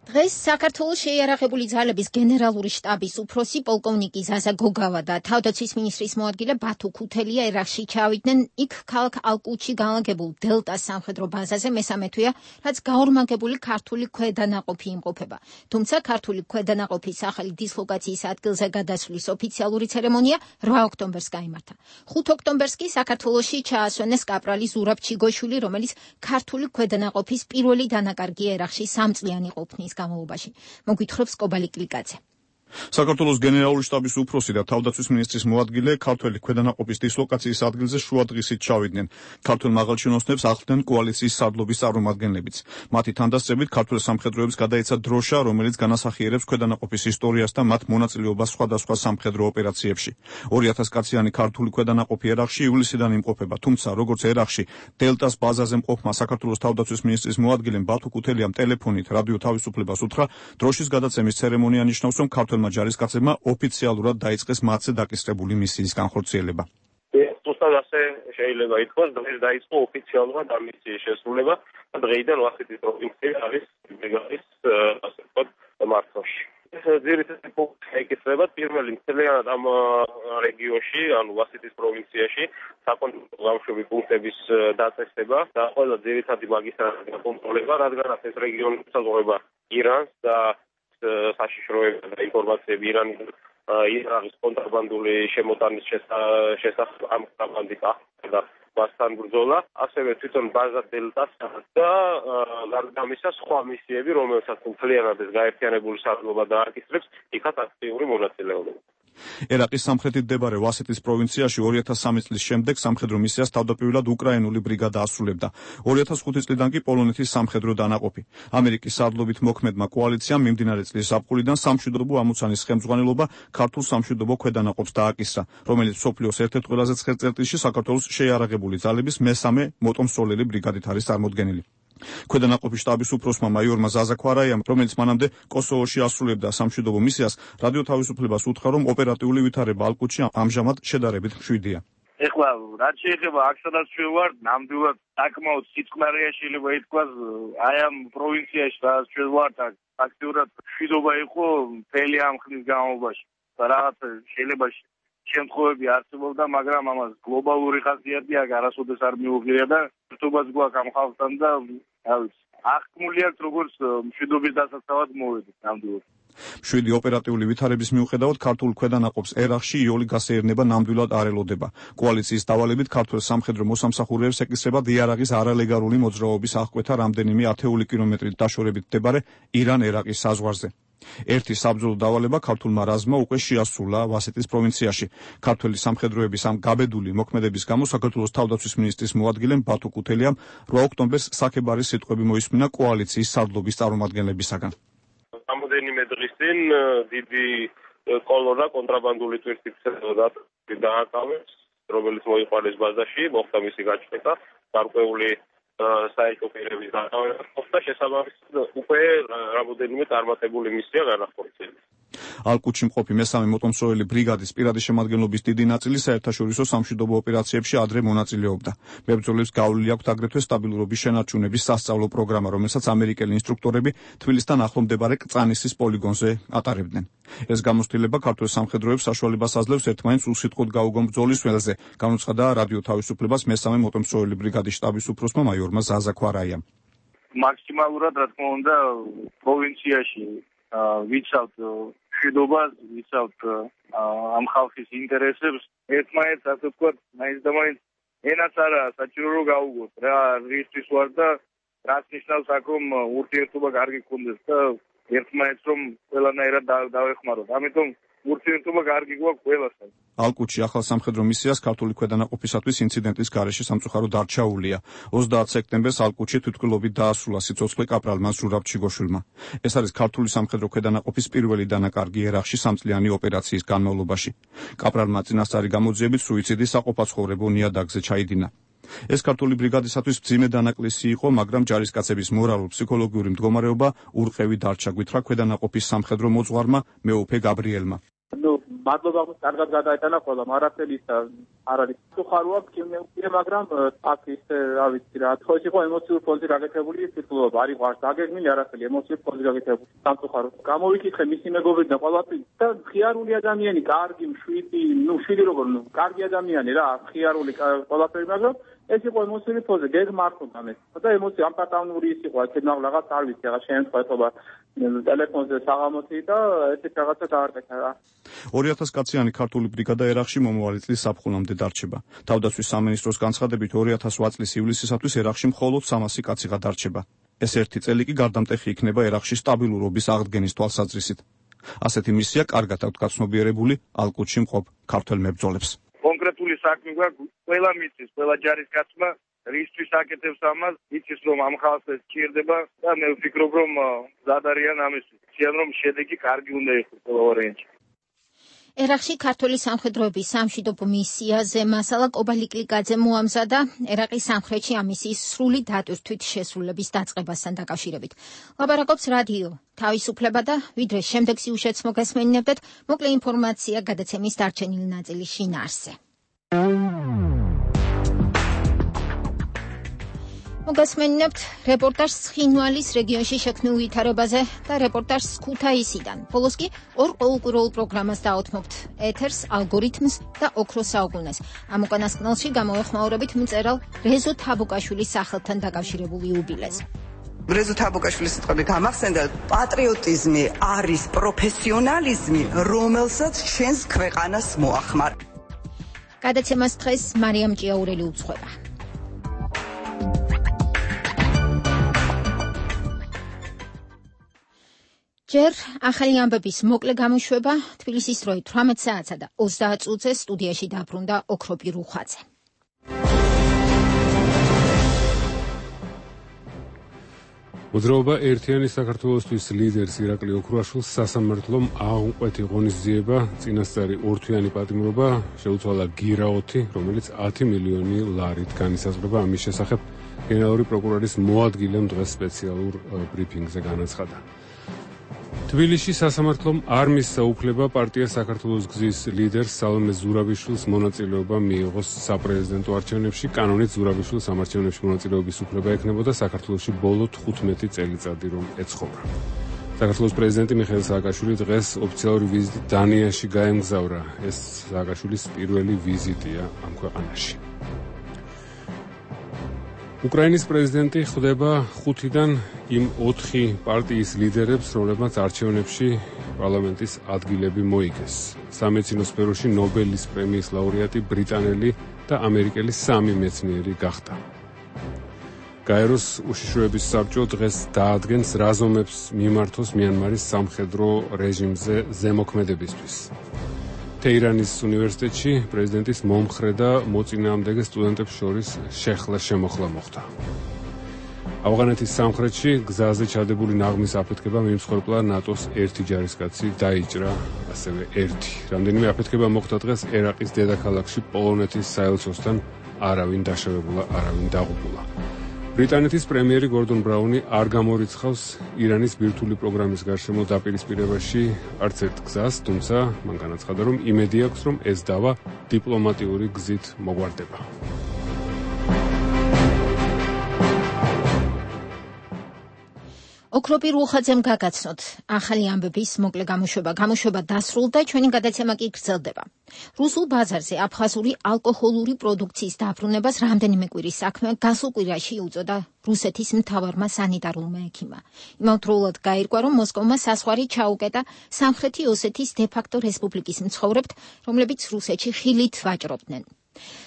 დღეს საქართველოს შეიარაღებული ძალების გენერალური შტაბის უფროსი პოლკოვნიკი ზაზა გოგავა და თავდაცვის მინისტრის მოადგილე ბათუ ქუთელია ერახში ჩავიდნენ. იქ ქალაქ ალკუთში განლაგებულ დელტას სამხედრო ბაზაზე მესამე თვეა, რაც გაორმაგებული ქართული ქვედანაყოფი იმყოფება. თუმცა ქართული ქვედანაყოფის ახალი დისლოკაციის ადგილზე გადასვლის ოფიციალური ცერემონია რვა ოქტომბერს გაიმართა. ხუთ ოქტომბერს კი საქართველოში ჩაასვენეს კაპრალი ზურაბ ჩიგოშვილი, რომელიც ქართული ქვედანაყოფის პირველი დანაკარგი ერახში სამწლიანი ყოფნის გამოვობაში. მოგვითხრობს კობალი კლიკაძე. საქართველოს გენერალური შტაბის უფროსი და თავდაცვის მინისტრის მოადგილე ქართველი ქვედანაყოფის დისლოკაციის ადგილზე შუადღისით ჩავიდნენ. ქართველ მაღალჩინოსნებს ახლდნენ კოალიციის სარდლობის წარმომადგენლებიც. მათი თანდასწრებით ქართველ სამხედროებს გადაეცა დროშა, რომელიც განასახიერებს ქვედანაყოფის ისტორიას და მათ მონაწილეობას სხვადასხვა სამხედრო ოპერაციებში. ორი ათას კაციანი ქართული ქვედანაყოფი ერახში ივლისიდან იმყოფება, თუმცა როგორც ერახში დელტას ბაზაზე მყოფმა საქართველოს თავდაცვის მინისტრის მოადგილემ ბათუ ქუთელიამ ტელეფონით რადიო თავისუფლებას უთხრა, დროშის გადაცემის ცერემონია ნიშნავს, რომ ქართველმა ჯარისკაცებმა ოფიციალურად დაიწყეს მათზე დაკისრებული მისიის განხორციელება. ზუსტად ასე შეიძლება ითქვას, დღეს დაიწყო ოფიციალურად ამ მისიის შესრულება და დღეიდან ვახეთის პროვინცია არის ბრიგადის ასე ვთქვათ მართვაში. ეს ძირითადი პუნქტი ეკისრება პირველი მთლიანად ამ რეგიონში, ანუ ვასიტის პროვინციაში საკონტროლო ბავშვები პუნქტების დაწესება და ყველა ძირითადი მაგისტრატის გაკონტროლება, რადგანაც ეს რეგიონი უსაზღვრება ირანს და საშიშროება და ინფორმაციები ირანიდან ირანის კონტრაბანდული შემოტანის შესახებ ამ კონტრაბანდის და მასთან ბრძოლა, ასევე თვითონ ბაზა დელტას და გარდა ამისა სხვა მისიები, რომელსაც მთლიანად ეს გაერთიანებული სარდლობა დააკისრებს, იქაც აქტიური მონაწილეობა. ერაყის სამხრეთით მდებარე ვასიტის პროვინციაში ორი ათას სამი წლის შემდეგ სამხედრო მისიას თავდაპირველად უკრაინული ბრიგადა ასრულებდა. ორი ათას ხუთი წლიდან კი პოლონეთის სამხედრო დანაყოფი. ამერიკის სარდლობით მოქმედმა კოალიციამ მიმდინარე წლის ზაფხულიდან სამშვიდობო ამოცანის ხელმძღვანელობა ქართულ სამშვიდობო ქვედანაყოფს დააკისრა, რომელიც მსოფლიოს ერთ-ერთ ყველაზე ცხელ წერტილში საქართველოს შეიარაღებული ძალების მესამე მოტომსოლელი ბრიგადით არის წარმოდგენილი. ქვედანაყოფის შტაბის უფროსმა მაიორმა ზაზა ქვარაიამ, რომელიც მანამდე კოსოვოში ასრულებდა სამშვიდობო მისიას, რადიო თავისუფლებას უთხრა, რომ ოპერატიული ვითარება ალყუთში ამჟამად შედარებით მშვიდია. ეხლა რაც შეეხება აქ სადაც ჩვენ ვართ, ნამდვილად საკმაოდ სიწყნარია შეიძლება ითქვას, აი ამ პროვინციაში სადაც ჩვენ ვართ, აქტიურად მშვიდობა იყო მთელი ამ ხნის განმავლობაში. რაღაც შეიძლება შემთხვევები არსებობდა, მაგრამ ამას გლობალური ხასიათი აქ არასოდეს არ მიუღია და ერთობაც გვაქვს ამ ხალხთან და რა ვიცი, აღქმული აქვს როგორც მშვიდობის დასაცავად მოვედით ნამდვილად. მშვიდი ოპერატიული ვითარების მიუხედავად ქართულ ქვედანაყოფს ერაყში იოლი გასეირნება ნამდვილად არ ელოდება. კოალიციის დავალებით ქართულ სამხედრო მოსამსახურეებს ეკისრებათ იარაღის არალეგალური მოძრაობის აღკვეთა რამდენიმე ათეული კილომეტრით დაშორებით მდებარე ირან-ერაყის საზღვარზე. ერთი საბრძოლო დავალება ქართულმა რაზმმა უკვე შეასრულა ვასიტის პროვინციაში. ქართველი სამხედროების ამ გაბედული მოქმედების გამო საქართველოს თავდაცვის მინისტრის მოადგილემ ბათუ კუთელიამ რვა ოქტომბერს საქებარის სიტყვები მოისმინა კოალიციის სარდლობის წარმომადგენლებისაგან. რამოდენიმე დღის წინ დიდი კოლონა კონტრაბანდული ტვირთით დააკავეს, რომელიც მოიყვანეს ბაზაში, მოხდა მისი გაჩნდა, გარკვეული საერთო პირების დაკავება და შესაბამისად უკვე რამოდენიმე წარმატებული მისია განახორციელეს. ალყუთში მყოფი მესამე მოტომსროელი ბრიგადის პირადი შემადგენლობის დიდი ნაწილი საერთაშორისო სამშვიდობო ოპერაციებში ადრე მონაწილეობდა. მებრძოლებს გავლილი აქვთ აგრეთვე სტაბილურობის შენარჩუნების სასწავლო პროგრამა, რომელსაც ამერიკელი ინსტრუქტორები თბილისთან ახლო მდებარე კწანისის პოლიგონზე ატარებდნენ. ეს გამოცდილება ქართულ სამხედროებს საშუალებას აძლევს ერთმანეთს უსიტყვოდ გაუგონ ბრძოლის ველზე, განუცხადა რადიო თავისუფლებას მესამე მოტომსროელი ბრიგადის შტაბის უფროსმა მაიორმა ზაზა ქვარაიამ. მაქსიმალურად რა თქმა უნდა პროვინციაში ვიცავთ მშვიდობას, ვიცავთ ამ ხალხის ინტერესებს, ერთმანეთს ასე ვთქვათ, მაინც და მაინც ენაც არა საჭირო რომ გაუგოთ რა რისთვის ვარ და რაც ნიშნავს აქ რომ ურთიერთობა კარგი გქონდეს და ერთმანეთს რომ ყველანაირად დავეხმაროთ. ამიტომ ურთიერთობა კარგი გვაქვს ყველასთან. ალყუთში ახალ სამხედრო მისიას ქართული ქვედანაყოფისათვის ინციდენტის გარეშე სამწუხაროდ არ ჩაუვლია. ოცდაათ სექტემბერს ალყუთში თვითმკვლელობით დაასრულა სიცოცხლე კაპრალმა ზურაბ ჩიგოშვილმა. ეს არის ქართული სამხედრო ქვედანაყოფის პირველი დანაკარგი ერაყში სამწლიანი ოპერაციის განმავლობაში. კაპრალმა წინასწარი გამოძიებით სუიციდის საყოფაცხოვრებო ნიადაგზე ჩაიდინა. ეს ქართული ბრიგადისათვის მძიმე დანაკლისი იყო, მაგრამ ჯარისკაცების მორალურ-ფსიქოლოგიური მდგომარეობა ურყევი დარჩა, გვითხრა ქვედანაყოფის სამხედრო მოძღვარმა მეუფე გაბრიელმა. ნუ მადლობა კარგად გადაეტანა ყველამ, არაფერი არ არის. ხაროა კიდე, მაგრამ აქ ის რა ვიცი რა, თქოს იყო ემოციური ფონზე გაკეთებული სიტყვობა, არ იყო არც დაგეგმილი არაფერი, ემოციური ფონზე გაკეთებული. სამწუხაროდ გამოვიკითხე მისი მეგობრები და ყველაფერი და ხიარული ადამიანი, კარგი, მშვიდი, ნუ მშვიდი როგორ, ნუ კარგი ადამიანი რა, ხიარული ყველაფერი, მაგრამ ეს იყო ემოციური ფონზე, გეგმა არ ხონდა მე. და ემოცი ამპატანური ის იყო, ეს რაღაც არ ვიცი, რაღაც შემთხვევა ტელეფონზე საღამოთი და ესეთ რაღაცა დაარკვეთა რა. ორი ათას კაციანი ქართული ბრიგადა ერაყში მომავალი წლის საფხულამდე დარჩება. თავდაცვის სამინისტროს განცხადებით ორი ათას ოთხ წლის ივლისისათვის ერაყში მხოლოდ სამასი კაციღა დარჩება. ეს ერთი წელი კი გარდამტეხი იქნება ერაყში სტაბილურობის აღდგენის თვალსაზრისით. ასეთი მისია კარგად აქვთ გაცნობიერებული ალყუთში მყოფ ქართველ მებრძოლებს. კონკრეტული საქმე გვაქვს, ყველა მიწის, ყველა ჯარისკაცმა რისთვის აკეთებს ამას, იცის რომ ამ ხალხს ეს სჭირდება და მე ვფიქრობ რომ ზადარიან ამისთვის. ციან რომ შედეგი კარგი უნდა იყოს ყველა ვარიანტში. ერაყში ქართული სამხედროების სამშვიდობო მისიაზე მასალა კობალიკლიკაძე მოამზადა ერაყის სამხრეთში ამ მისიის სრული დატვირთვით შესრულების დაწყებასთან დაკავშირებით. ლაპარაკობს რადიო თავისუფლება და ვიდრე შემდეგ სიუჟეტს მოგესმენინებდეთ, მოკლე ინფორმაცია გადაცემის დარჩენილი ნაწილის შინაარსზე. მოგასმენინებთ რეპორტაჟს ცხინვალის რეგიონში შექმნილ ვითარებაზე და რეპორტაჟს ქუთაისიდან. ბოლოს კი ორ ყოველკვირეულ პროგრამას დაუთმობთ ეთერს, ალგორითმს და ოქროს საუკუნეს. ამ უკანასკნელში გამოვეხმაურებით მწერალ რეზო თაბუკაშვილის სახელთან დაკავშირებული იუბილეს. რეზო თაბუკაშვილის სიტყვები გამახსენდა, პატრიოტიზმი არის პროფესიონალიზმი, რომელსაც ჩვენს ქვეყანას მოახმარ. გადაცემას დღეს მარიამ ჭიაურელი უძღვება. ჯერ ახალი ამბების მოკლე გამოშვება თბილისის დროით თვრამეტ საათსა და ოცდაათ წუთზე სტუდიაში დაბრუნდა ოქროპი რუხაძე. მოძრაობა ერთიანი საქართველოსთვის ლიდერს ირაკლი ოქრუაშვილს სასამართლომ აღუკვეთი ღონისძიება, წინასწარი ორთვიანი პატიმრობა შეუცვალა გირაოთი, რომელიც ათი მილიონი ლარით განისაზღვრება. ამის შესახებ გენერალური პროკურორის მოადგილემ დღეს სპეციალურ ბრიფინგზე განაცხადა. თბილისში სასამართლომ არ მისცა უფლება პარტია საქართველოს გზის ლიდერს სალომე ზურაბიშვილს მონაწილეობა მიიღოს საპრეზიდენტო არჩევნებში. კანონით ზურაბიშვილს ამ არჩევნებში მონაწილეობის უფლება ექნებოდა საქართველოში ბოლო თხუთმეტი წელიწადი რომ ეცხოვრა. საქართველოს პრეზიდენტი მიხეილ სააკაშვილი დღეს ოფიციალური ვიზიტით დანიაში გაემგზავრა. ეს სააკაშვილის პირველი ვიზიტია ამ ქვეყანაში. უკრაინის პრეზიდენტი ხვდება ხუთიდან იმ ოთხი პარტიის ლიდერებს, რომლებმაც არჩევნებში პარლამენტის ადგილები მოიგეს. სამედიცინო სფეროში ნობელის პრემიის ლაურეატი ბრიტანელი და ამერიკელი სამი მეცნიერი გახდა. გაეროს უშიშროების საბჭო დღეს დაადგენს რა ზომებს მიმართოს მიანმარის სამხედრო რეჟიმზე ზემოქმედებისთვის. თეირანის უნივერსიტეტში პრეზიდენტის მომხრე და მოწინააღმდეგე სტუდენტებს შორის შეხლა შემოხლა მოხდა. ავღანეთის სამხრეთში გზაზე ჩადებული ნაღმის აფეთქება მიმსხვერპლა ნატოს ერთი ჯარისკაცი დაიჭრა, ასევე ერთი. რამდენიმე აფეთქება მოხდა დღეს ერაყის დედაქალაქში პოლონეთის საელჩოსთან, არავინ დაშავებულა, არავინ დაღუპულა. ბრიტანეთის პრემიერი გორდონ ბრაუნი არ გამორიცხავს ირანის ბირთვული პროგრამის გარშემო დაპირისპირებაში არც ერთ გზას, თუმცა მან განაცხადა, რომ იმედი აქვს, რომ ეს დავა დიპლომატიური გზით მოგვარდება. ოქროპი რუხაძემ გაგაცნოთ ახალი ამბების მოკლე გამოშვება. გამოშვება დასრულდა, ჩვენი გადაცემა კი გრძელდება. რუსულ ბაზარზე აფხაზური ალკოჰოლური პროდუქციის დაბრუნებას რამდენიმე კვირის საქმე გასულ კვირაში უწოდა რუსეთის მთავარმა სანიტარულმა ექიმმა. იმავდროულად გაირკვა, რომ მოსკოვმა საზღვარი ჩაუკეტა სამხრეთი ოსეთის დე-ფაქტო რესპუბლიკის მცხოვრებთ, რომლებიც რუსეთში ხილით ვაჭრობდნენ.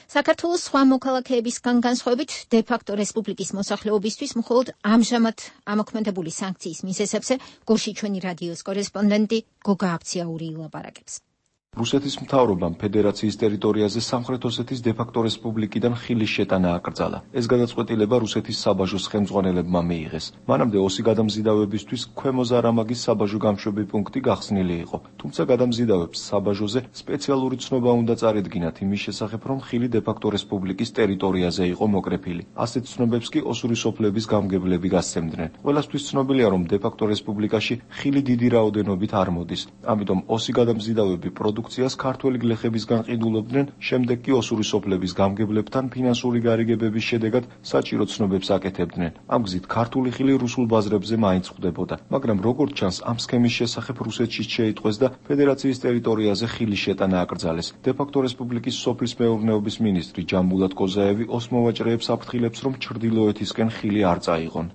საქართველოს სხვა მოქალაქეებისგან განსხვავებით დე-ფაქტო რესპუბლიკის მოსახლეობისთვის მხოლოდ ამჟამად ამოქმედებული სანქციის მიზეზებზე გორში ჩვენი რადიოს კორესპონდენტი გოგა აფციაური ილაპარაკებს. რუსეთის მთავრობამ ფედერაციის ტერიტორიაზე სამხრეთ ოსეთის დე-ფაქტო რესპუბლიკიდან ხილის შეტანა აკრძალა. ეს გადაწყვეტილება რუსეთის საბაჟოს ხელმძღვანელებმა მიიღეს. მანამდე ოსი გადამზიდავებისთვის ქვემო ზარამაგის საბაჟო გამშვები პუნქტი გახსნილი იყო. თუმცა გადამზიდავებს საბაჟოზე სპეციალური ცნობა უნდა წარედგინათ იმის შესახებ, რომ ხილი დე-ფაქტო რესპუბლიკის ტერიტორიაზე იყო მოკრეფილი. ასეთ ცნობებს კი ოსური სოფლების გამგებლები გასცემდნენ. ყველასთვის ცნობილია, რომ დე-ფაქტო რესპუბლიკაში ხილი დიდი რაოდენობით არ მოდის. ამიტომ ოსი გადამზიდავები პროდუქციას ქართველი გლეხებისგან ყიდულობდნენ, შემდეგ კი ოსური სოფლების გამგებლებთან ფინანსური გარიგებების შედეგად საჭირო ცნობებს აკეთებდნენ. ამ გზით ქართული ხილი რუსულ ბაზრებზე მაინც ხვდებოდა, მაგრამ როგორც ჩანს, ამ სქემის შესახებ რუსეთში შეიტყვეს და ფედერაციის ტერიტორიაზე ხილის შეტანა აკრძალეს. დე-ფაქტო რესპუბლიკის სოფლის მეურნეობის მინისტრი ჯამბულატ კოზაევი ოს მოვაჭრეებს აფრთხილებს, რომ ჩრდილოეთისკენ ხილი არ წაიღონ.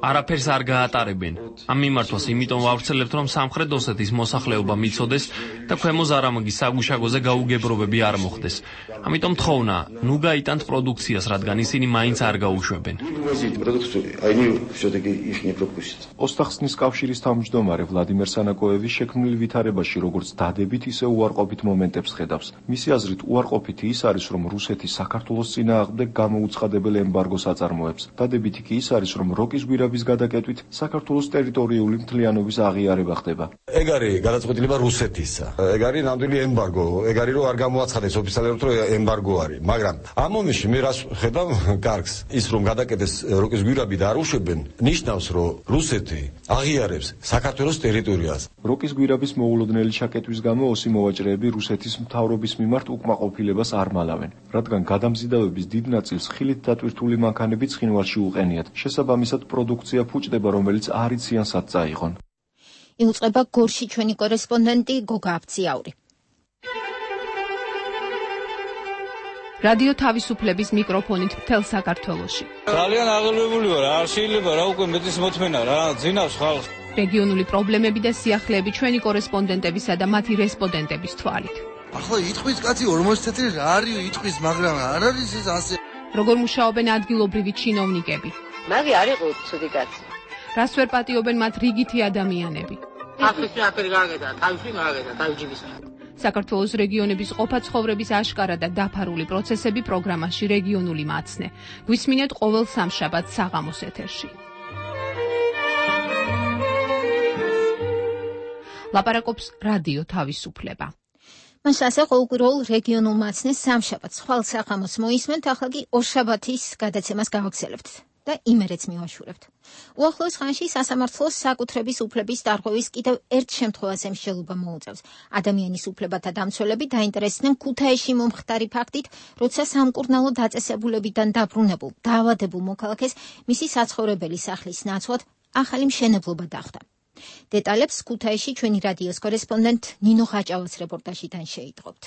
არაფერს არ გაატარებენ. ამ მიმართვას იმიტომ ვავრცელებთ, რომ სამხრეთ ოსეთის მოსახლეობა მიცოდეს და ქვემო ზარამაგის საგუშაგოზე გაუგებრობები არ მოხდეს. ამიტომ თხოვნა, ნუ გაიტანთ პროდუქციას, რადგან ისინი მაინც არ გაუშვებენ. ოსტახსნის კავშირის თავმჯდომარე ვლადიმერ სანაკოევი შექმნილ ვითარებაში როგორც დადებით, ისე უარყოფით მომენტებს ხედავს. მისი აზრით, უარყოფითი ის არის, რომ რუსეთი საქართველოს წინააღმდეგ გამოუცხადებელ ემბარგოს აწარმოებს. დადებითი კი ის არის, რომ როკის გვირაბის გადაკეტვით საქართველოს ტერიტორიული მთლიანობის აღიარება ხდება. ეგ არის გადაწყვეტილება რუსეთისა. ეგ არის ნამდვილი ემბარგო. ეგ არის რომ არ გამოაცხადეს ოფიციალურად რომ ემბარგო არის. მაგრამ ამ მომენტში მე რას ხედავ კარგს ის რომ გადაკეთეს როკის გვირაბი და არ უშვებენ ნიშნავს რომ რუსეთი აღიარებს საქართველოს ტერიტორიას. როკის გვირაბის მოულოდნელი ჩაკეტვის გამო ოსი მოვაჭრეები რუსეთის მთავრობის მიმართ უკმაყოფილებას არ მალავენ, რადგან გადამზიდავების დიდ ნაწილს ხილით დატვირთული მანქანები ცხინვალში უყენიათ. შესაბამისად პროდუქცია ფუჭდება, რომელიც არ იციან სად წაიღონ. იუწყება გორში ჩვენი კორესპონდენტი გოგა აფციაური. რადიო თავისუფლების მიკროფონით მთელ საქართველოში. ძალიან აღელვებული ვარ, არ შეიძლება რა უკვე მეტის მოთმენა რა, ძინავს ხალხს. რეგიონული პრობლემები და სიახლეები ჩვენი კორესპონდენტებისა და მათი რესპონდენტების თვალით. ახლა იტყვის კაცი ორმოცი წელი რა არის იტყვის, მაგრამ არ არის ეს ასე. როგორ მუშაობენ ადგილობრივი ჩინოვნიკები? მაგი არ იყო ცუდი კაცი. რას ვერ პატიობენ მათ რიგითი ადამიანები? ახლა აფერი გააკეთა, თავში გააკეთა, თავჯიბის. საქართველოს რეგიონების ყოფა ცხოვრების აშკარა და დაფარული პროცესები პროგრამაში რეგიონული მაცნე. გვისმინეთ ყოველ სამშაბათს საღამოს ეთერში. ლაპარაკობს რადიო თავისუფლება. მას ასე ყოველკვირეულ რეგიონულ მაცნეს სამშაბათს ხვალ საღამოს მოისმენთ, ახლა კი ორშაბათის გადაცემას გავაგზავნებთ და იმერეც მივაშურებთ. უახლოეს ხანში სასამართლოს საკუთრების უფლების დარღვევის კიდევ ერთ შემთხვევაზე მსჯელობა მოუწევს. ადამიანის უფლებათა დამცველები დაინტერესდნენ ქუთაისში მომხდარი ფაქტით, როცა სამკურნალო დაწესებულებიდან დაბრუნებულ, დაავადებულ მოქალაქეს მისი საცხოვრებელი სახლის ნაცვლად ახალი მშენებლობა დახვდა. დეტალებს ქუთაისში ჩვენი რადიოს კორესპონდენტ ნინო ხაჭავას რეპორტაჟიდან შეიტყობთ.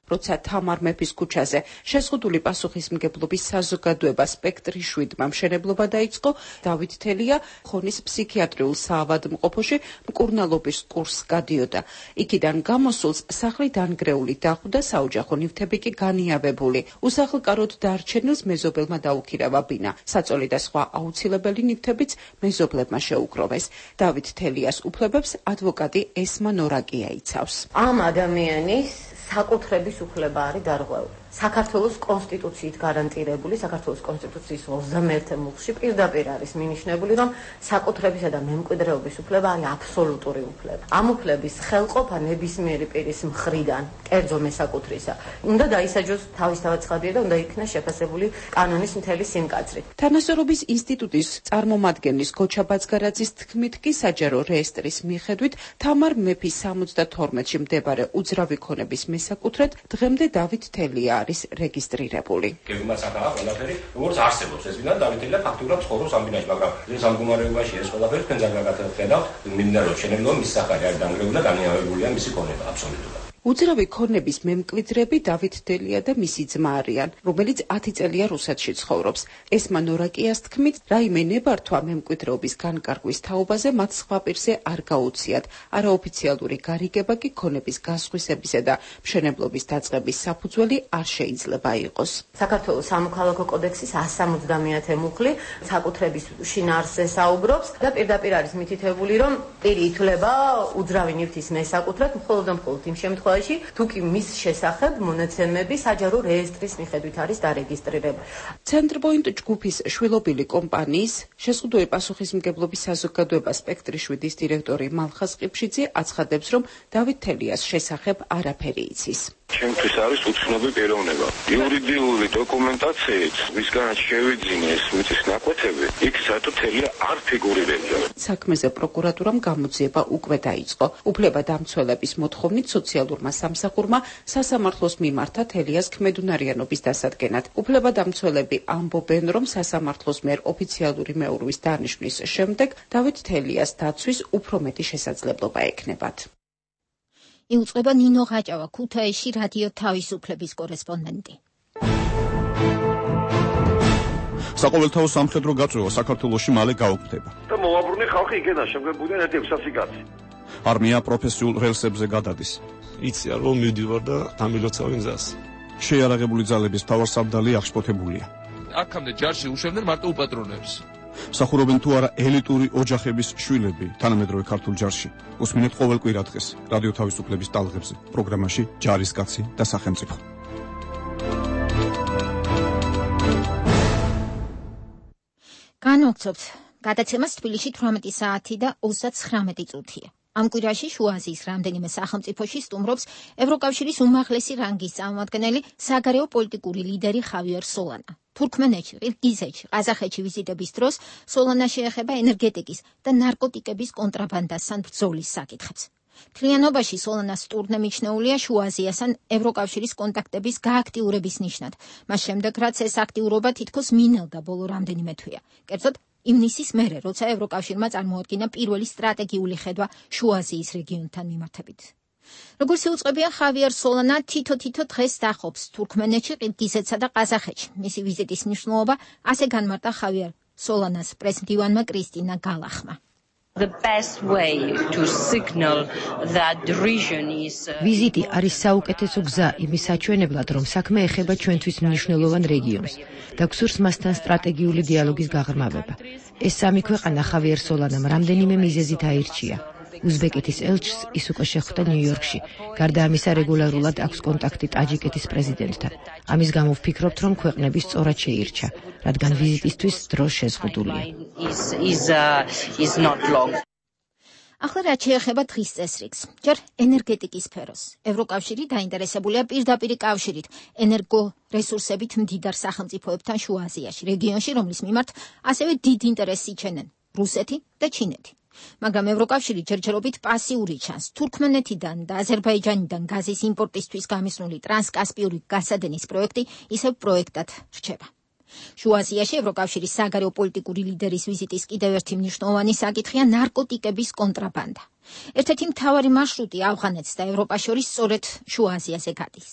როცა თამარ მეფის ქუჩაზე შეზღუდული პასუხისმგებლობის საზოგადოება სპექტრი შვიდმა მშენებლობა დაიწყო, დავით თელია ხონის ფსიქიატრიულ საავადმყოფოში მკურნალობის კურსს გადიოდა. იქიდან გამოსულს სახლი დანგრეული დახვდა, საოჯახო ნივთები კი განიავებული. უსახლკაროდ დარჩენილს მეზობელმა დაუქირავა ბინა. საწოლი და სხვა აუცილებელი ნივთებიც მეზობლებმა შეუკროვეს. დავით თელიას უფლებებს ადვოკატი ესმა ნორაკია იცავს. ამ ადამიანის საკუთრების უფლება არის დარღვეული. საქართველოს კონსტიტუციით გარანტირებული, საქართველოს კონსტიტუციის ოცდამეერთე მუხლში პირდაპირ არის მინიშნებული, რომ საკუთრებისა და მემკვიდრეობის უფლება არის აბსოლუტური უფლება. ამ უფლების ხელყოფა ნებისმიერი პირის მხრიდან, კერძო მესაკუთრისა, უნდა დაისაჯოს თავისთავად ცხადია და უნდა იქნას შეფასებული კანონის მთელი სიმკაცრით. თანასწორობის ინსტიტუტის წარმომადგენლის გოჩა ბაცგარაძის თქმით კი საჯარო რეესტრის მიხედვით თამარ მეფის სამოცდათორმეტში მდებარე უძრავი ქონების მესაკუთრედ დღემდე დავით თელია არის რეგისტრირებული. გეგმაც ახლა ყველაფერი როგორც არსებობს ეს ვინან დავით თელია ფაქტურად ცხოვრობს ამ ბინაში, მაგრამ ეს ამ გუმარებაში ეს ყველაფერი თქვენ ძალიან გაგხედავთ, მინდა რომ შენებლობა მის სახარი არის დანგრეული და განიავებულია მისი ქონება აბსოლუტურად. უძრავი ქონების მემკვიდრები დავით თელია და მისი ძმა არიან, რომელიც ათი წელია რუსეთში ცხოვრობს. ესმა ნორაკიას თქმით, რაიმე ნებართვა მემკვიდრეობის განკარგვის თაობაზე მათ სხვა პირზე არ გაუციათ. არაოფიციალური გარიგება კი ქონების გასხვისებისა და მშენებლობის დაწყების საფუძველი არ შეიძლება იყოს. საქართველოს სამოქალაქო კოდექსის ასი სამოცდამეათე მუხლი საკუთრების შინაარსზე საუბრობს და პირდაპირ არის მითითებული, რომ პირი ითვლება უძრავი ნივთის მესაკუთრად მხოლოდ და მხოლოდ იმ შემთხვევაში, თუ კი მის შესახებ მონაცემები საჯარო რეესტრის მიხედვით არის დარეგისტრირებული. ცენტრპოინტ ჯგუფის შვილობილი კომპანიის შეზღუდული პასუხისმგებლობის საზოგადოება სპექტრი შვიდის დირექტორი მალხას ყიფშიძე აცხადებს, რომ დავით თელიას შესახებ არაფერი იცის. ჩემთვის არის უცნობი პიროვნება. იურიდიული დოკუმენტაციით მისგან შევიძინეს მიწის ნაკვეთები, იქ საერთოდ თელია არ ფიგურირებდა. საქმეზე პროკურატურამ გამოძიება უკვე დაიწყო. უფლებადამცველების მოთხოვნით სოციალურმა სამსახურმა სასამართლოს მიმართა თელიას ქმედუნარიანობის დასადგენად. უფლებადამცველები ამბობენ, რომ სასამართლოს მიერ ოფიციალური მეურვის დანიშვნის შემდეგ დავით თელიას დაცვის უფრო მეტი შესაძლებლობა ექნებათ. იუწყება ნინო ხაჭავა, ქუთაისში რადიო თავისუფლების კორესპონდენტი. საყოველთაო სამხედრო გაწვევა საქართველოში მალე გაუქმდება. და მოვაბრუნე ხალხი იქიდან, შემდგომ ბუდენ ერთი ექვსი კაცი. არმია პროფესიულ რელსებზე გადადის. იციან რომ მივდივარ და დამილოცავენ გზას. შეიარაღებული ძალების მთავარსარდალი აღშფოთებულია. აქამდე ჯარში უშვებდნენ მარტო უპატრონებს. სახურობენ თუ არა ელიტური ოჯახების შვილები თანამედროვე ქართულ ჯარში. უსმინეთ ყოველ კვირა დღეს რადიო თავისუფლების ტალღებზე პროგრამაში ჯარისკაცი და სახელმწიფო. განვაგრძობთ გადაცემას თბილისში თვრამეტი საათი და ოცდაცხრამეტი წუთია. ამ კვირაში შუა აზიის რამდენიმე სახელმწიფოში სტუმრობს ევროკავშირის უმაღლესი რანგის წარმომადგენელი საგარეო პოლიტიკური ლიდერი ხავიერ სოლანა. თურქმენეთში, ყირგიზეთში, ყაზახეთში ვიზიტების დროს სოლანა შეეხება ენერგეტიკის და ნარკოტიკების კონტრაბანდასთან ბრძოლის საკითხებს. მთლიანობაში სოლანას ტურნე მიჩნეულია შუა აზიასთან ევროკავშირის კონტაქტების გააქტიურების ნიშნად, მას შემდეგ რაც ეს აქტიურობა თითქოს მინელდა ბოლო რამდენიმე თვეა. კერძოდ ივნისის მერე, როცა ევროკავშირმა წარმოადგინა პირველი სტრატეგიული ხედვა შუა აზიის რეგიონთან მიმართებით. როგორც იუწყებია ხავიერ სოლანა თითო-თითო დღეს დახობს თურქმენეთში, ყირგიზეთსა და ყაზახეთში. მისი ვიზიტის მნიშვნელობა ასე განმარტა ხავიერ სოლანას პრესმდივანმა კრისტინა გალახმა. The best way to signal that the region is ვიზიტი არის საუკეთესო გზა იმის საჩვენებლად, რომ საქმე ეხება ჩვენთვის მნიშვნელოვან რეგიონს და გსურს მასთან სტრატეგიული დიალოგის გაღრმავება. ეს სამი ქვეყანა ხავიერ სოლანამ რამდენიმე მიზეზით აირჩია. უზბეკეთის ელჩს ის უკვე შეხვდა ნიუ-იორკში. გარდა ამისა, რეგულარულად აქვს კონტაქტი ტაჯიკეთის პრეზიდენტთან. ამის გამო ვფიქრობთ, რომ ქვეყნები სწორად შეირჩა, რადგან ვიზიტისთვის დრო შეზღუდულია. ახლა რაც შეეხება დღის წესრიგს, ჯერ ენერგეტიკის სფეროს. ევროკავშირი დაინტერესებულია პირდაპირი კავშირით ენერგორესურსებით მდიდარ სახელმწიფოებთან შუა აზიაში, რეგიონში, რომლის მიმართ ასევე დიდ ინტერესს იჩენენ რუსეთი და ჩინეთი. მაგრამ ევროკავშირი ჯერჯერობით პასიური ჩანს. თურქმენეთიდან და აზერბაიჯანიდან გაზის იმპორტისთვის გამისნული ტრანსკასპიური გასადენის პროექტი ისევ პროექტად რჩება. შუა აზიაში ევროკავშირის საგარეო პოლიტიკური ლიდერის ვიზიტის კიდევ ერთი მნიშვნელოვანი საკითხია ნარკოტიკების კონტრაბანდა. ერთ-ერთი მთავარი მარშრუტი ავღანეთს და ევროპას შორის სწორედ შუა აზიაზე გადის.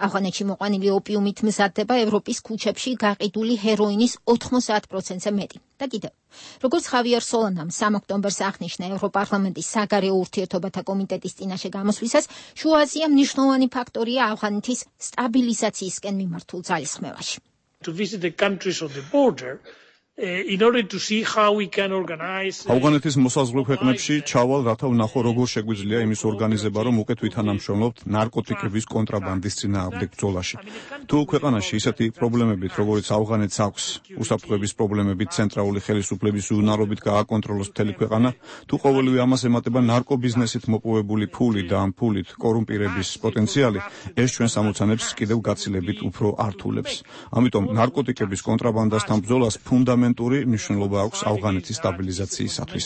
ავღანეთში მოყვანილი ოპიუმით მზადდება ევროპის ქუჩებში გაყიდული ჰეროინის ოთხმოცდაათ პროცენტზე მეტი. და კიდევ, როგორც ხავიერ სოლანამ სამი ოქტომბერს აღნიშნა ევროპარლამენტის საგარეო ურთიერთობათა კომიტეტის წინაშე გამოსვლისას, შუა აზია მნიშვნელოვანი ფაქტორია ავღანეთის სტაბილიზაციისკენ მიმართულ ძალისხმევაში. To visit the countries on the border in order to see how we can organize ავღანეთის მოსაზღვრე ქვეყნებში ჩავალ, რათა ვნახო როგორ შეგვიძლია იმის ორგანიზება, რომ უკეთ ვითანამშრომლობთ ნარკოტიკების კონტრაბანდის წინააღმდეგ ბრძოლაში. თუ ქვეყანაში ისეთი პრობლემებით, როგორც ავღანეთს აქვს, უსაფრთხოების პრობლემებით, ცენტრალური ხელისუფლების უვნარობით გააკონტროლოს მთელი ქვეყანა, თუ ყოველივე ამას ემატება ნარკობიზნესით მოპოვებული ფული და ამ ფულით კორუმპირების პოტენციალი, ეს ჩვენს ამოცანებს კიდევ გაცილებით უფრო ართულებს. ამიტომ ნარკოტიკების კონტრაბანდასთან ბრძოლას ფუნდამენტური მნიშვნელობა აქვს ავღანეთის სტაბილიზაციისათვის.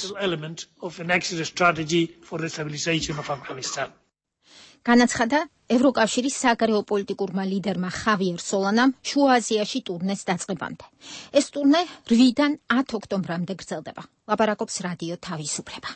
განაცხადა ევროკავშირის საგარეო პოლიტიკურმა ლიდერმა ხავიერ სოლანამ შუა აზიაში ტურნეს დაწყებამდე. ეს ტურნე რვიდან ათ ოქტომბრამდე გრძელდება. ლაპარაკობს რადიო თავისუფლება.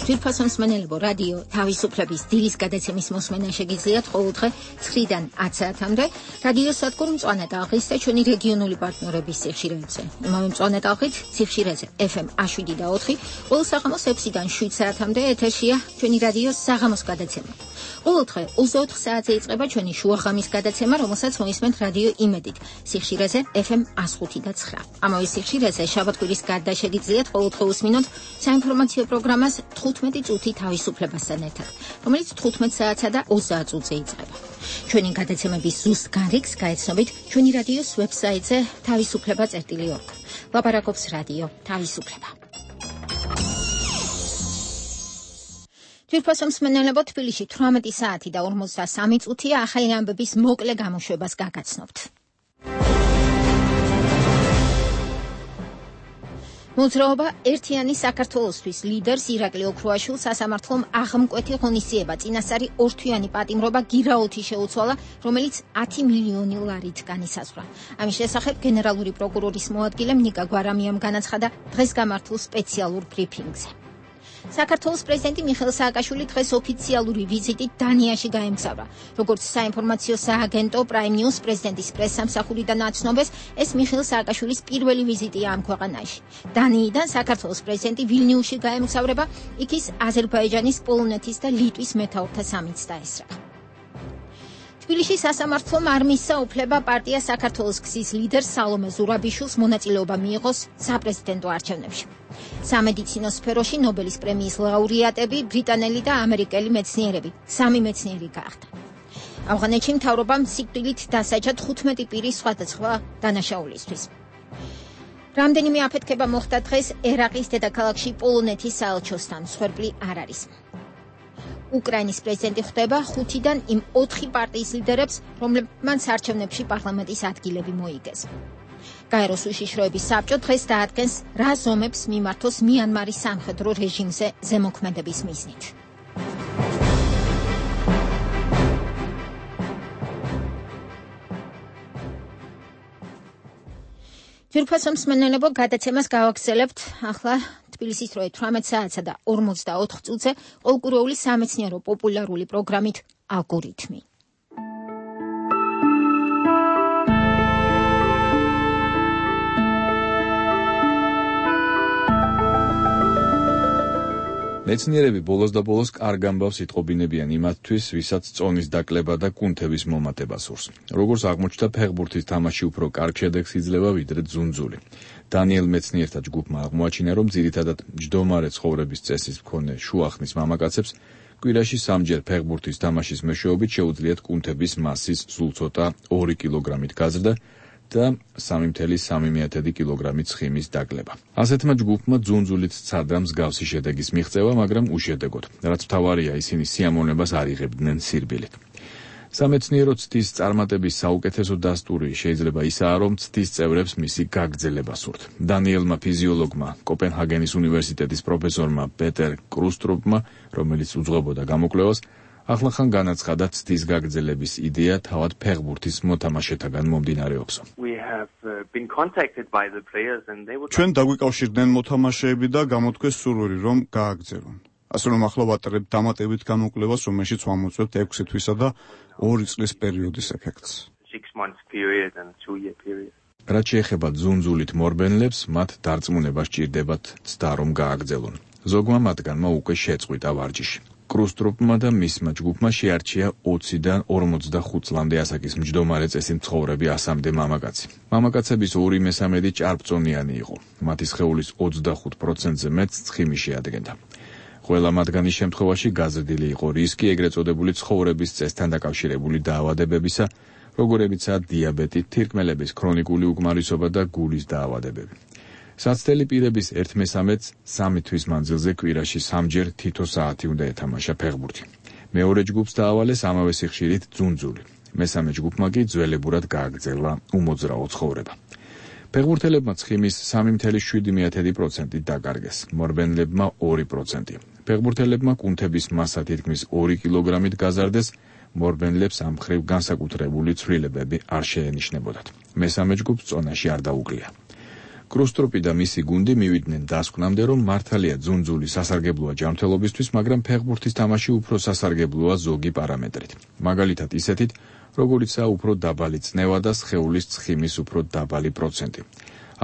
ძვირფასო მსმენელებო, რადიო თავისუფლების დილის გადაცემის მოსმენა შეგიძლიათ ყოველდღე ცხრიდან ათ საათამდე რადიო სადგურ მწვანე ტალღის და ჩვენი რეგიონული პარტნიორების სიხშირეებზე. იმავე მწვანე ტალღით სიხშირეზე ეფ ემ შვიდ და ოთხი, ყოველ საღამოს ექვსიდან შვიდ საათამდე ეთერშია ჩვენი რადიო საღამოს გადაცემა. ყოველდღე ოცდაოთხ საათზე იწყება ჩვენი შუაღამის გადაცემა, რომელსაც მოისმენთ რადიო იმედით სიხშირეზე ეფ ემ ხუთი და ცხრა. ამავე სიხშირეზე შაბათ-კვირის გარდა შეგიძლიათ ყოველდღე უსმინოთ საინფორმაციო პროგრამას თხუთმეტი წუთი თავისუფლებასთან ერთად, რომელიც თხუთმეტ საათსა და ოცდაათ წუთზე იწყება. ჩვენი გადაცემების ზუსტ გარიგს გაეცნობით ჩვენი რადიოს ვებსაიტზე თავისუფლება წერტილი ორგ. ლაპარაკობს რადიო თავისუფლება. ძვირფასო მსმენელებო, თბილისში თვრამეტი საათი და ორმოცდასამი წუთია, ახალი ამბების მოკლე გამოშვებას გაგაცნობთ. მოძრაობა ერთიანი საქართველოსთვის ლიდერს ირაკლი ოქრუაშვილს სასამართლომ აღმკვეთი ღონისძიება წინასწარი ორთვიანი პატიმრობა გირაოთი შეუცვალა, რომელიც ათი მილიონი ლარით განისაზღვრა. ამის შესახებ გენერალური პროკურორის მოადგილემ ნიკა გვარამიამ განაცხადა დღეს გამართულ სპეციალურ ბრიფინგზე. საქართველოს პრეზიდენტი მიხეილ სააკაშვილი დღეს ოფიციალური ვიზიტით დანიაში გაემგზავრა. როგორც საინფორმაციო სააგენტო Prime News პრეზიდენტის პრესსამსახურიდან აცნობეს, ეს მიხეილ სააკაშვილის პირველი ვიზიტია ამ ქვეყანაში. დანიიდან საქართველოს პრეზიდენტი ვილნიუსში გაემგზავრება, იქ ის აზერბაიჯანის, პოლონეთის და ლიტვის მეთაურთა სამიტს დაესწრება. თბილისში სასამართლომ არ მისცა უფლება პარტია საქართველოს გზის ლიდერ სალომე ზურაბიშვილს მონაწილეობა მიიღოს საპრეზიდენტო არჩევნებში. სამედიცინო სფეროში ნობელის პრემიის ლაურეატები ბრიტანელი და ამერიკელი მეცნიერები, სამი მეცნიერი გაახდა. ავღანეთში მთავრობამ სიკვდილით დასაჯა თხუთმეტი პირის სხვადასხვა დანაშაულისთვის. რამდენიმე აფეთქება მოხდა დღეს ერაყის დედაქალაქში პოლონეთის საელჩოსთან, მსხვერპლი არ არის. უკრაინის პრეზიდენტი ხვდება ხუთიდან იმ ოთხი პარტიის ლიდერებს, რომლებმაც არჩევნებში პარლამენტის ადგილები მოიგეს. გაეროს უშიშროების საბჭო დღეს დაადგენს, რა ზომებს მიმართოს მიანმარის სამხედრო რეჟიმზე ზემოქმედების მიზნით. ძვირფასო მსმენელებო, გადაცემას გავაგრძელებთ ახლა თბილისის როე თვრამეტ საათსა და ორმოცდაოთხ წუთზე ყოველკვირეული სამეცნიერო პოპულარული პროგრამით ალგორითმი. მეცნიერები ბოლოს და ბოლოს კარგ ამბავს იტყობინებიან იმათთვის, ვისაც წონის დაკლება და კუნთების მომატება სურს. როგორც აღმოჩნდა, ფეხბურთის თამაში უფრო კარგ შედეგს იძლევა ვიდრე ძუნძული. დანიელ მეცნიერთა ჯგუფმა აღმოაჩინა, რომ ძირითადად მჯდომარე ცხოვრების წესის მქონე შუახნის მამაკაცებს კვირაში სამჯერ ფეხბურთის თამაშის მეშვეობით შეუძლიათ კუნთების მასის სულ ცოტა ორი კილოგრამით გაზრდა და სამი წუთი სამი კილოგრამით ცხიმის დაკლება. ასეთმა ჯგუფმა ძუნძულით სცადა მსგავსი შედეგის მიღწევა, მაგრამ უშედეგოდ, რაც მთავარია, ისინი სიამოვნებას არ იღებდნენ სირბილით. სამეცნიერო ცდის წარმატების საუკეთესო დასტური შეიძლება ისაა, რომ ცდის წევრებს მისი გაგრძელება სურთ. დანიელმა ფიზიოლოგმა, კოპენჰაგენის უნივერსიტეტის პროფესორმა პეტერ კრუსტროპმა, რომელიც უძღვებოდა გამოკვლევას, ახლახან განაცხადა ცდის გაგრძელების იდეა თავად ფეხბურთის მოთამაშეთაგან მომდინარეობსო. ჩვენ დაგვიკავშირდნენ მოთამაშეები და გამოთქვეს სურვილი, რომ გააგრძელონ. ასე რომ ახლა ვატარებთ დამატებით გამოკვლევას, რომელშიც ვამოწმებთ ექვსი თვისა და ორი წლის პერიოდის ეფექტს. რაც შეეხება ძუნძულით მორბენლებს, მათ დარწმუნება სჭირდებათ ცდა რომ გააგრძელონ. ზოგმა მათგანმა უკვე შეწყვიტა ვარჯიში. კრუსტროპმა და მისმა ჯგუფმა შეარჩია ოციდან ორმოცდახუთ წლამდე ასაკის მჯდომარე წესით მცხოვრები ასამდე მამაკაცი. მამაკაცების ორი მესამედი ჭარბწონიანი იყო. მათი სხეულის ოცდახუთ პროცენტზე მეტს ცხიმი შეადგენდა. ყველა მათგანის შემთხვევაში გაზრდილი იყო რისკი ეგრეთ წოდებული ცხოვრების წესთან დაკავშირებული დაავადებებისა, როგორებიცაა დიაბეტი, თირკმელების ქრონიკული უკმარისობა და გულის დაავადებები. საცდელი პირების ერთ მესამედს სამი თვის მანძილზე კვირაში სამჯერ თითო საათი უნდა ეთამაშა ფეხბურთი. მეორე ჯგუფს დაავალეს ამავე სიხშირით ძუნძული. მესამე ჯგუფმა კი ძველებურად გააგრძელა უმოძრაო ცხოვრება. ფეხბურთელებმა ცხიმის სამი წუთი შვიდი პროცენტი დაკარგეს, მორბენლებმა ორი პროცენტი. ფეხბურთელებმა კუნთების მასა თითქმის ორი კილოგრამით გაზარდეს, მორბენლებს ამ მხრივ განსაკუთრებული ცვლილებები არ შეენიშნებოდათ. მესამე ჯგუფს წონაში არ დაუკლია. კრუსტროპი და მისი გუნდი მივიდნენ დასკვნამდე, რომ მართალია ძუნძული სასარგებლოა ჯანმრთელობისთვის, მაგრამ ფეხბურთის თამაში უფრო სასარგებლოა ზოგი პარამეტრით. მაგალითად ისეთით, როგორიცაა უფრო დაბალი წნევა და სხეულის ცხიმის უფრო დაბალი პროცენტი.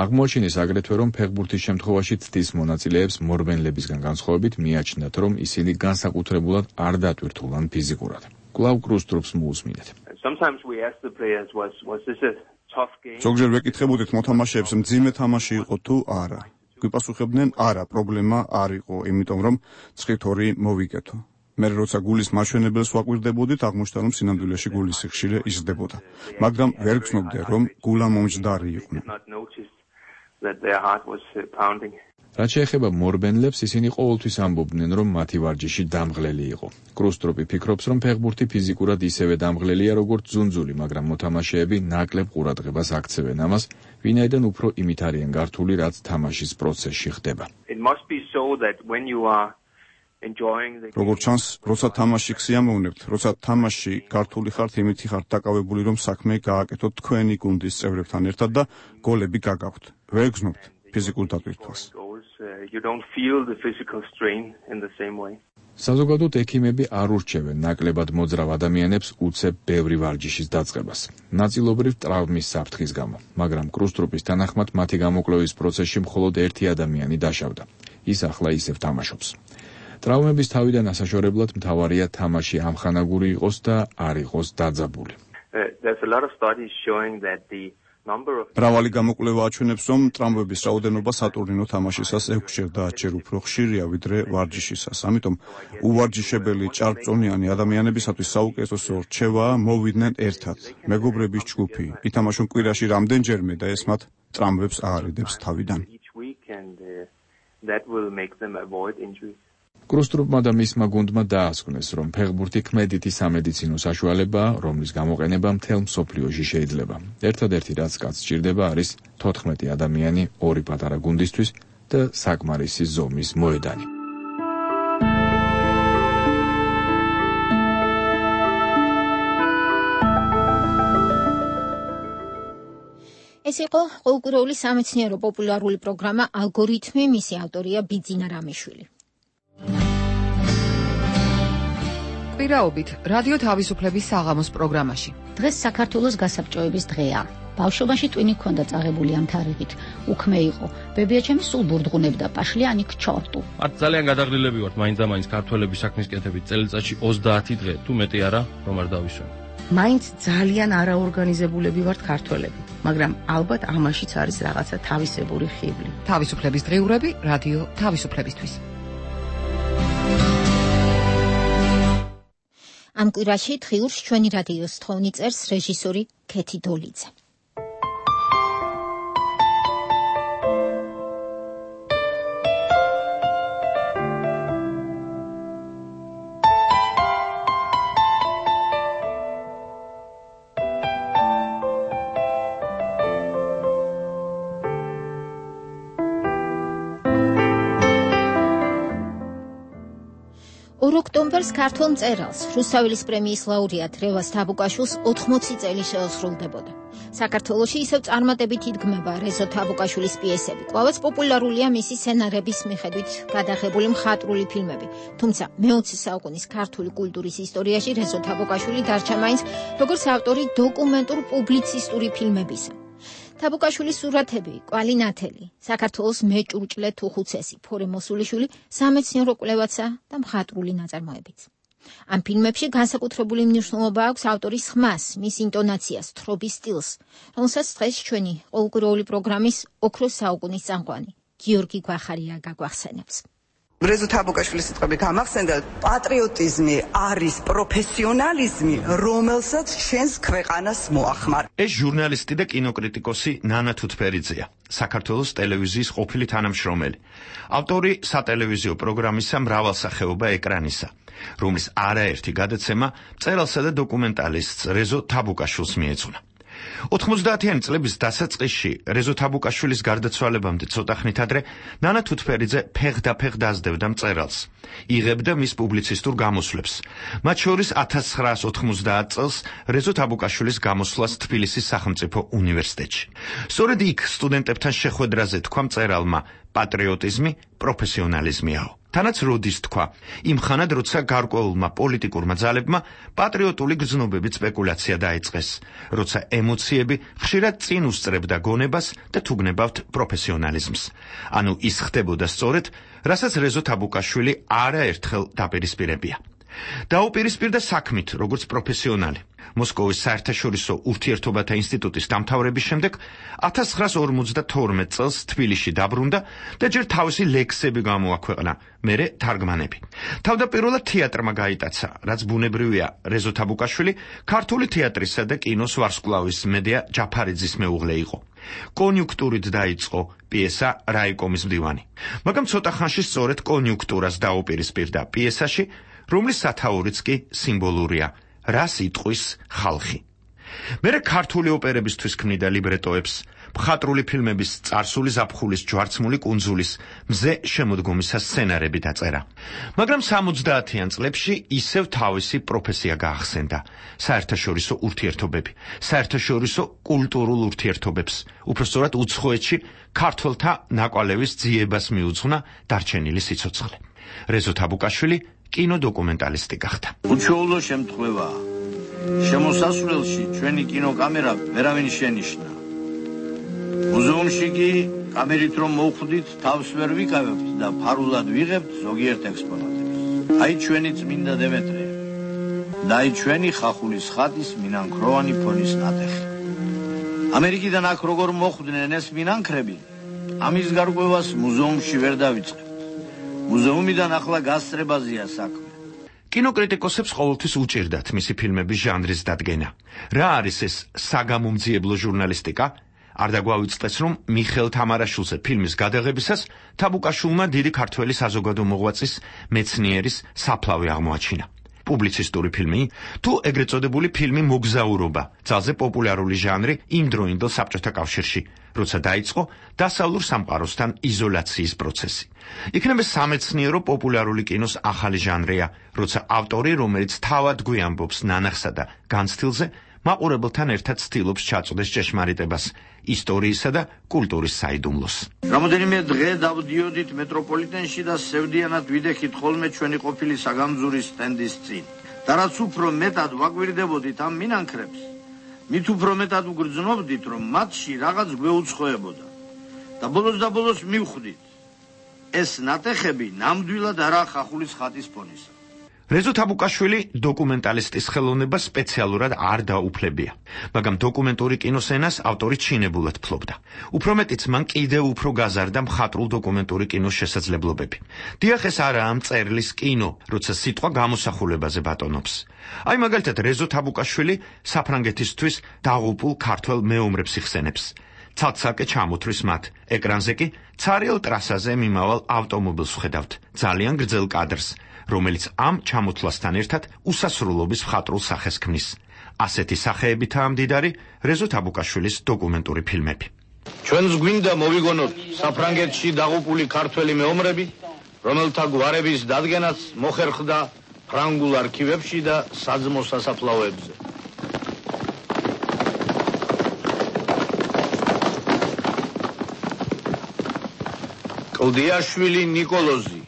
აღმოაჩინეს აგრეთვე, რომ ფეხბურთის შემთხვევაში ცდის მონაწილეებს მორბენლებისგან განსხვავებით მიაჩნდათ, რომ ისინი განსაკუთრებულად არ დატვირთულან ფიზიკურად. კვლავ კრუსტროპს მოусმინეთ. ზოგჯერ ვეკითხებოდით მოთამაშეებს, მძიმე თამაში იყო თუ არა. გვიპასუხებდნენ, არა, პრობლემა არ იყო, იმიტომ რომ ცხითორი მოვიკეთო. მე როცა გულის მაშვენებელს ვაკვირდებოდით, აღმოჩნდა, რომ სინამდვილეში გულის სიხშირე იზრდებოდა, მაგრამ ვერ გცნობდე, რომ გულა მომჯდარი იყვნენ. რაც შეეხება მორბენლებს, ისინი ყოველთვის ამბობდნენ, რომ მათი ვარჯიში დამღლელი იყო. კრუსტროპი ფიქრობს, რომ ფეხბურთი ფიზიკურად ისევე დამღლელია, როგორც ძუნძული, მაგრამ მოთამაშეები ნაკლებ ყურადღებას აქცევენ ამას, ვინაიდან უფრო იმით არიან გართული, რაც თამაშის პროცესში ხდება. როგორც ჩანს, როცა თამაში გსიამოვნებთ, როცა თამაში გართული ხართ, იმითი ხართ დაკავებული, რომ საქმე გააკეთოთ თქვენი გუნდის წევრებთან ერთად და გოლები გაგაქვთ. ვერ გრძნობთ ფიზიკურ დატვირთვას. საზოგადოდ ექიმები არ ურჩევენ ნაკლებად მოძრავ ადამიანებს უცებ ბევრი ვარჯიშის დაწყებას, ნაწილობრივ ტრავმის საფრთხის გამო, მაგრამ კრუსტროპის თანახმად მათი გამოკვლევის პროცესში მხოლოდ ერთი ადამიანი დაშავდა. ის ახლა ისევ თამაშობს. ტრავმების თავიდან ასაშორებლად მთავარია თამაში ამხანაგური იყოს და არ იყოს დაძაბული. მრავალი გამოკვლევა აჩვენებს, რომ ტრავმების რაოდენობა სატურნირო თამაშისას ექვსჯერ და ათჯერ უფრო ხშირია ვიდრე ვარჯიშისას. ამიტომ უვარჯიშებელი ჭარბწონიანი ადამიანებისათვის საუკეთესო რჩევაა მოვიდნენ ერთად, მეგობრების ჯგუფი, ითამაშონ კვირაში რამდენჯერმე და ეს მათ ტრამვებს აარიდებს თავიდან. That will make them avoid injuries. კრუსტროპმა და მისმა გუნდმა დაასკვნეს, რომ ფეხბურთი ქმედითი სამედიცინო საშუალებაა, რომლის გამოყენება მთელ მსოფლიოში შეიძლება. ერთადერთი რაც კაც სჭირდება არის თოთხმეტი ადამიანი ორი პატარა გუნდისთვის და საკმარისი ზომის მოედანი. ეს იყო ყოველკვირეული სამეცნიერო პოპულარული პროგრამა ალგორითმი, მისი ავტორია ბიძინა რამიშვილი. კვირაობით რადიო თავისუფლების საღამოს პროგრამაში. დღეს საქართველოს გასაბჭოების დღეა. ბავშვობაში ტვინი ჰქონდა წაღებული ამ თარიღით. უქმე იყო. ბებიაჩემი სულ ბურდღუნებდა პაშლიანი ქჩორტუ. არც ძალიან გადაღლილები ვართ მაინც-ამაინც ქართველების საქმის კეთებით წელიწადში ოცდაათი დღე, თუ მეტი არა, რომ არ დავისვენ. მაინც ძალიან არაორგანიზებულები ვართ ქართველები, მაგრამ ალბათ ამაშიც არის რაღაცა თავისებური ხიბლი. თავისუფლების დღიურები რადიო თავისუფლებისთვის. ამ კვირაში დღიურს ჩვენი რადიოს თხოვნი წერს რეჟისორი ქეთი დოლიძე. ორ ოქტომბერს ქართულ მწერალს, რუსთაველის პრემიის ლაურეატ რევაზ თაბუკაშვილს ოთხმოცი წელი შეუსრულდებოდა. საქართველოში ისევ წარმატებით იდგმება რეზო თაბუკაშვილის პიესები. კვლავაც პოპულარულია მისი სცენარების მიხედვით გადაღებული მხატვრული ფილმები. თუმცა მეოცე საუკუნის ქართული კულტურის ისტორიაში რეზო თაბუკაშვილი დარჩა მაინც როგორც ავტორი დოკუმენტურ-პუბლიცისტური ფილმებისა. თაბუკაშვილის სურათები, კვალი ნათელი, საქართველოს მეჭურჭლე თუხუცესი, ფორე მოსულიშვილი სამეცნიერო კვლევაცა და მხატვრული ნაწარმოებიც. ამ ფილმებში განსაკუთრებული მნიშვნელობა აქვს ავტორის ხმას, მის ინტონაციას, თხრობის სტილს, რომელსაც დღეს ჩვენი ყოველკვირეული პროგრამის ოქროს საუკუნის წამყვანი გიორგი გვახარია გაგვახსენებს. რეზო თაბუკაშვილის სიტყვები გამახსენდა, პატრიოტიზმი არის პროფესიონალიზმი, რომელსაც ჩვენს ქვეყანას მოახმარ. ეს ჟურნალისტი და კინოკრიტიკოსი ნანა თუთფერიძეა, საქართველოს ტელევიზიის ყოფილი თანამშრომელი. ავტორი სატელევიზიო პროგრამისა მრავალსახეობა ეკრანისა, რომლის არაერთი გადაცემა მწერალსა და დოკუმენტალისტს რეზო თაბუკაშვილს მიეძღვნა. ოთხმოცდაათიანი წლების დასაწყისში რეზო თაბუკაშვილის გარდაცვალებამდე ცოტა ხნით ადრე ნანა თუთფერიძე ფეხდაფეხ დაძდევდა მწერალს, იღებდა მის პუბლიცისტურ გამოსვლებს, მათ შორის ათას ცხრაას ოთხმოცდაათ წელს რეზო თაბუკაშვილის გამოსვლას თბილისის სახელმწიფო უნივერსიტეტში. სწორედ იქ სტუდენტებთან შეხვედრაზე თქვა მწერალმა, პატრიოტიზმი პროფესიონალიზმიაო. თანაც როდის თქვა, იმ ხანად, როცა გარკვეულმა პოლიტიკურმა ძალებმა პატრიოტული გრძნობებით სპეკულაცია დაიწყეს, როცა ემოციები ხშირად წინ უსწრებდა გონებას და თუ გნებავთ პროფესიონალიზმს. ანუ ის ხდებოდა სწორედ, რასაც რეზო თაბუკაშვილი არაერთხელ დაპირისპირებია. დაუპირისპირდა საქმით, როგორც პროფესიონალი. მოსკოვის საერთაშორისო ურთიერთობათა ინსტიტუტის დამთავრების შემდეგ ათას ცხრაას ორმოცდათორმეტ წელს თბილისში დაბრუნდა და ჯერ თავისი ლექსები გამოაქვეყნა, მერე თარგმანები. თავდაპირველად თეატრმა გაიტაცა, რაც ბუნებრივია, რეზო თაბუკაშვილი ქართული თეატრისა და კინოს ვარსკვლავის მედია ჯაფარიძის მეუღლე იყო. კონიუნქტურით დაიწყო პიესა რაიკომის მდივანი, მაგრამ ცოტა ხანში სწორედ კონიუნქტურას დაუპირისპირდა პიესაში, რომლის სათაურიც კი სიმბოლურია. რას იტყვის ხალხი. მერე ქართული ოპერებისთვის ქმნიდა ლიბრეტოებს, მხატვრული ფილმების წარსული ზაფხულის ჯვარცმული კუნძულის მზე შემოდგომისა სცენარები დაწერა. მაგრამ სამოცდაათიან წლებში ისევ თავისი პროფესია გაახსენდა, საერთაშორისო ურთიერთობები, საერთაშორისო კულტურულ ურთიერთობებს, უпростоრად უცხოეთში ქართველთა ნაკვალევის ძიებას მიუძღვნა დარჩენილი სიცოცხლე. რეზო თაბუკაშვილი კინოდოკუმენტალისტი გახდა. უჩვეულო შემთხვევაა. შემოსასვლელში ჩვენი კინოკამერა ვერავინ შენიშნა. მუზეუმში კი კამერით რომ მოვხვდით, თავს ვერ ვიკავებთ და ფარულად ვიღებთ ზოგიერთ ექსპონატებს. აი ჩვენი წმინდა დემეტრე. და აი ჩვენი ხახულის ხატის მინანქროვანი ფონის ნატეხი. ამერიკიდან აქ როგორ მოხვდნენ ეს მინანქრები? ამის გარკვევას მუზეუმში ვერ დავიწყებთ. მუზეუმიდან ახლა გასწრებაზეა საქმე. კინოკრიტიკოსებს ყოველთვის უჭირდათ მისი ფილმების ჟანრის დადგენა. რა არის ეს საგამომძიებლო ჟურნალისტიკა? არ დაგვავიწყდეს, რომ მიხეილ თამარაშვილზე ფილმის გადაღებისას თაბუკაშვილმა დიდი ქართველი საზოგადო მოღვაწის, მეცნიერის საფლავი აღმოაჩინა. პუბლიცისტური ფილმი, თუ ეგრეთ წოდებული ფილმი მოგზაურობა, ძალზე პოპულარული ჟანრი იმ დროინდელ საბჭოთა კავშირში, როცა დაიწყო დასავლურ სამყაროსთან იზოლაციის პროცესი. იქნება სამეცნიერო პოპულარული კინოს ახალი ჟანრია, როცა ავტორი, რომელიც თავად გვიამბობს ნანახსა და განცდილზე, მაყურებელთან ერთად ცდილობს ჩაწოდეს ჭეშმარიტებას, ისტორიისა და კულტურის საიდუმლოს. რამოდენიმე დღე დავდიოდით მეტროპოლიტენში და სევდიანად ვიდექით ხოლმე ჩვენი ყოფილი საგამძურის სტენდის წინ. და რაც უფრო მეტად ვაგვირდებოდით ამ მინანქრებს, მით უფრო მეტად ვგრძნობდით, რომ მათში რაღაც გვეუცხოებოდა. და ბოლოს და ბოლოს მივხვდით, ეს ნატეხები ნამდვილად არა ხახულის ხატის ფონისა. რეზო თაბუკაშვილი დოკუმენტალისტის ხელოვნება სპეციალურად არ დაუფლებია, მაგრამ დოკუმენტური კინოს ენას ავტორი ჩინებულად ფლობდა. უფრო მეტიც მან კიდევ უფრო გაზარდა მხატვრულ დოკუმენტური კინოს შესაძლებლობები. დიახ, ეს არაა ამ წერლის კინო, როცა სიტყვა გამოსახულებაზე ბატონობს. აი მაგალითად რეზო თაბუკაშვილი საფრანგეთისთვის დაღუპულ ქართველ მეომრებს იხსენებს. ცალ-ცალკე ჩამოთვლის მათ, ეკრანზე კი ცარიელ ტრასაზე მიმავალ ავტომობილს ვხედავთ, ძალიან გრძელ კადრს, რომელიც ამ ჩამოთვლასთან ერთად უსასრულობის მხატვრულ სახეს ქმნის. ასეთი სახეებითაა მდიდარი რეზო თაბუკაშვილის დოკუმენტური ფილმები. ჩვენს გვინდა მოვიგონოთ საფრანგეთში დაღუპული ქართველი მეომრები, რომელთა გვარების დადგენაც მოხერხდა ფრანგულ არქივებში და საძმო სასაფლაოებზე. კლდიაშვილი ნიკოლოზი,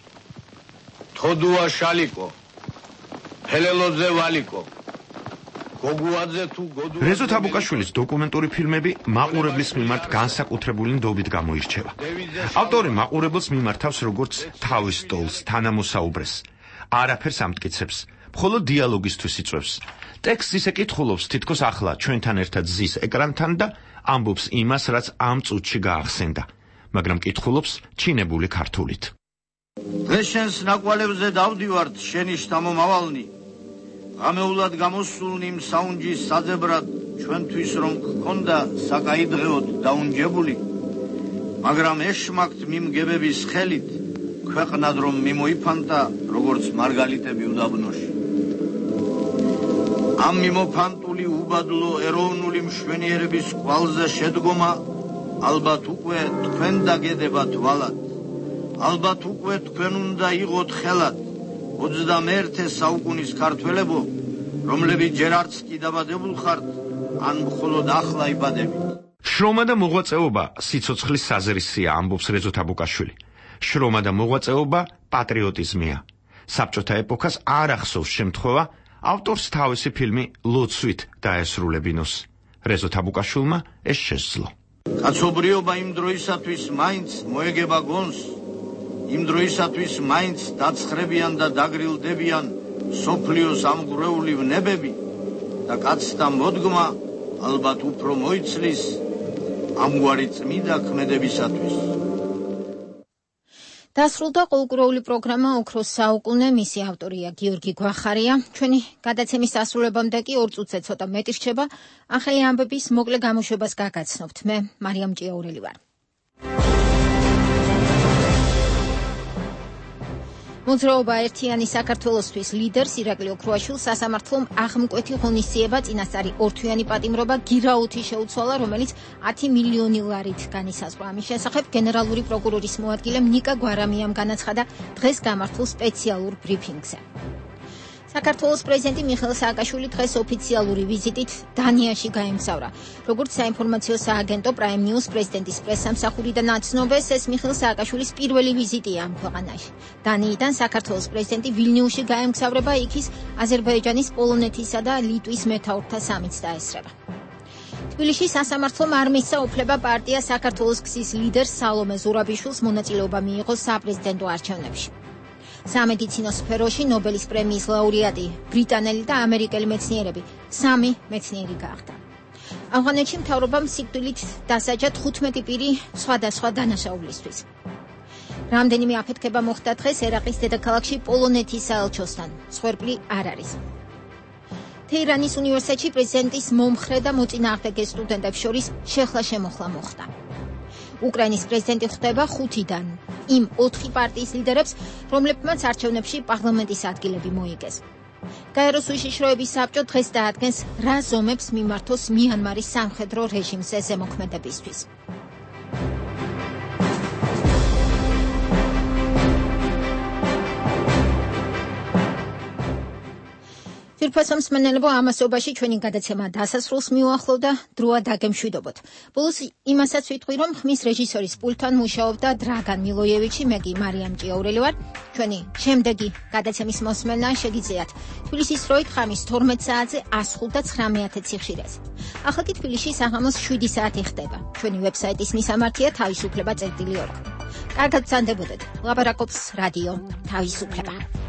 თოდუა შალიკო, ჰელელოძე ვალიკო, გოგუაძე თუ გოდუ. რეზო თაბუკაშვილის დოკუმენტური ფილმები მაყურებლის მიმართ განსაკუთრებული ნდობით გამოირჩევა. ავტორი მაყურებელს მიმართავს როგორც თავის სტოლს, თანამოსაუბრეს. არაფერს ამტკიცებს, მხოლოდ დიალოგისთვის იწვევს. ტექსტს ისე კითხულობს, თითქოს ახლა ჩვენთან ერთად ზის ეკრანთან და ამბობს იმას, რაც ამ წუთში გაახსენდა, მაგრამ კითხულობს ჩინებული ქართულით. დღეს შენს ნაკვალებზე დავდივართ შენი შთამომავალნი. ღამეულად გამოსულნი იმ საუნჯის საძებრად ჩვენთვის რომ გქონდა საკაიდღეოდ დაუნჯებული, მაგრამ ეშმაკთ მიმგებების ხელით ქვეყნად რომ მიმოიფანტა როგორც მარგალიტები უდაბნოში. ამ მიმოფანტული უბადლო ეროვნული მშვენიერების კვალზე შედგომა ალბათ უკვე თქვენ დაგედება თვალად. ალბათ უკვე თქვენ უნდა იყოთ ხელად ოცდამეერთე საუკუნის ქართველებო, რომლებიც ჯერ არც კი დაბადებულ ხართ, ან მხოლოდ ახლა იბადებით. შრომა და მოღვაწეობა სიცოცხლის საზრისია, ამბობს რეზო თაბუკაშვილი. შრომა და მოღვაწეობა პატრიოტიზმია. საბჭოთა ეპოქას არ ახსოვს შემთხვევა ავტორს თავისი ფილმი ლოცვით დაესრულებინოს. რეზო თაბუკაშვილმა ეს შესძლო. კაცობრიობა იმ დროისათვის მაინც მოეგება გონს, იმ დროისათვის მაინც დაცხრებიან და დაგრილდებიან სოფლიოს ამგვრეული ვნებები და კაცთა მოდგმა ალბათ უფრო მოიცლის ამგვარი წმიდა ქმედებისათვის. დასრულდა ყოლკურეული პროგრამა ოქროს საუკუნე, მისი ავტორია გიორგი გვახარია. ჩვენი გადაცემის დასრულებამდე კი ორ წუთზე ცოტა მეტი რჩება. ახალი ამბების მოკლე გამოშვებას გაგაცნობთ. მე მარიამ ჭიაურელი ვარ. მოძრაობა ერთიანი საქართველოსთვის ლიდერს ირაკლი ოქროაშვილს სასამართლომ აღმკვეთი ღონისძიება წინასწარი ორთვიანი პატიმრობა გირაუთი შეუცვალა, რომელიც ათი მილიონი ლარით განისაზღვრა. ამის შესახებ გენერალური პროკურორის მოადგილემ ნიკა გვარამიამ განაცხადა დღეს გამართულ სპეციალურ ბრიფინგზე. საქართველოს პრეზიდენტი მიხეილ სააკაშვილი დღეს ოფიციალური ვიზიტით დანიაში გაემგზავრა. როგორც საინფორმაციო სააგენტო Prime News პრეზიდენტის პრესსამსახურიდან აცნობეს, ეს მიხეილ სააკაშვილის პირველი ვიზიტია ამ ქვეყანაში. დანიიდან საქართველოს პრეზიდენტი ვილნიუსში გაემგზავრება, იქ ის აზერბაიჯანის, პოლონეთისა და ლიტვის მეთაურთა სამიტს დაესწრება. თბილისში სასამართლომ არ მისცა უფლება პარტია საქართველოს გზის ლიდერს სალომე ზურაბიშვილს მონაწილეობა მიიღოს საპრეზიდენტო არჩევნებში. სამედიცინო სფეროში ნობელის პრემიის ლაურეატი ბრიტანელი და ამერიკელი მეცნიერები სამი მეცნიერი გახდა. ავღანეთში მთავრობამ სიკვდილით დასაჯა თხუთმეტი პირი სხვადასხვა დანაშაულისთვის. რამდენიმე აფეთქება მოხდა დღეს ერაყის დედაქალაქში პოლონეთის საელჩოსთან. სხვერპლი არ არის. თეირანის უნივერსიტეტში პრეზიდენტის მომხრე და მოწინააღმდეგე სტუდენტებს შორის შეხლა-შემოხლა მოხდა. უკრაინის პრეზიდენტი ხვდება ხუთიდან იმ ოთხი პარტიის ლიდერებს, რომლებმაც არჩევნებში პარლამენტის ადგილები მოიგეს. გაეროს უშიშროების საბჭო დღეს დაადგენს, რა ზომებს მიმართოს მიანმარის სამხედრო რეჟიმზე ზემოქმედებისთვის. Firpasam smenelebo ამასობაში ჩვენი გადაცემა დასასრულს მიუახლოვდა, დროა დაგემშვიდობოთ. ბოლოს იმასაც ვიტყვი, რომ ხმის რეჟისორის პულტთან მუშაობდა დრაგან მილოიევიჩი, მე კი მარიამ ჭიაურელი ვარ. ჩვენი შემდეგი გადაცემის მოსმენა შეგიძლიათ თბილისის დროით ხამის თორმეტ საათზე ას ხუთ და ცხრამეტ ციხშირეზე. ახლა კი თბილისში საღამოს შვიდი საათი ხდება. ჩვენი ვებსაიტის მისამართია თავისუფლება წერტილი ორ. კარგად გრძანდებოდეთ. ლაპარაკობს რადიო თავისუფლება.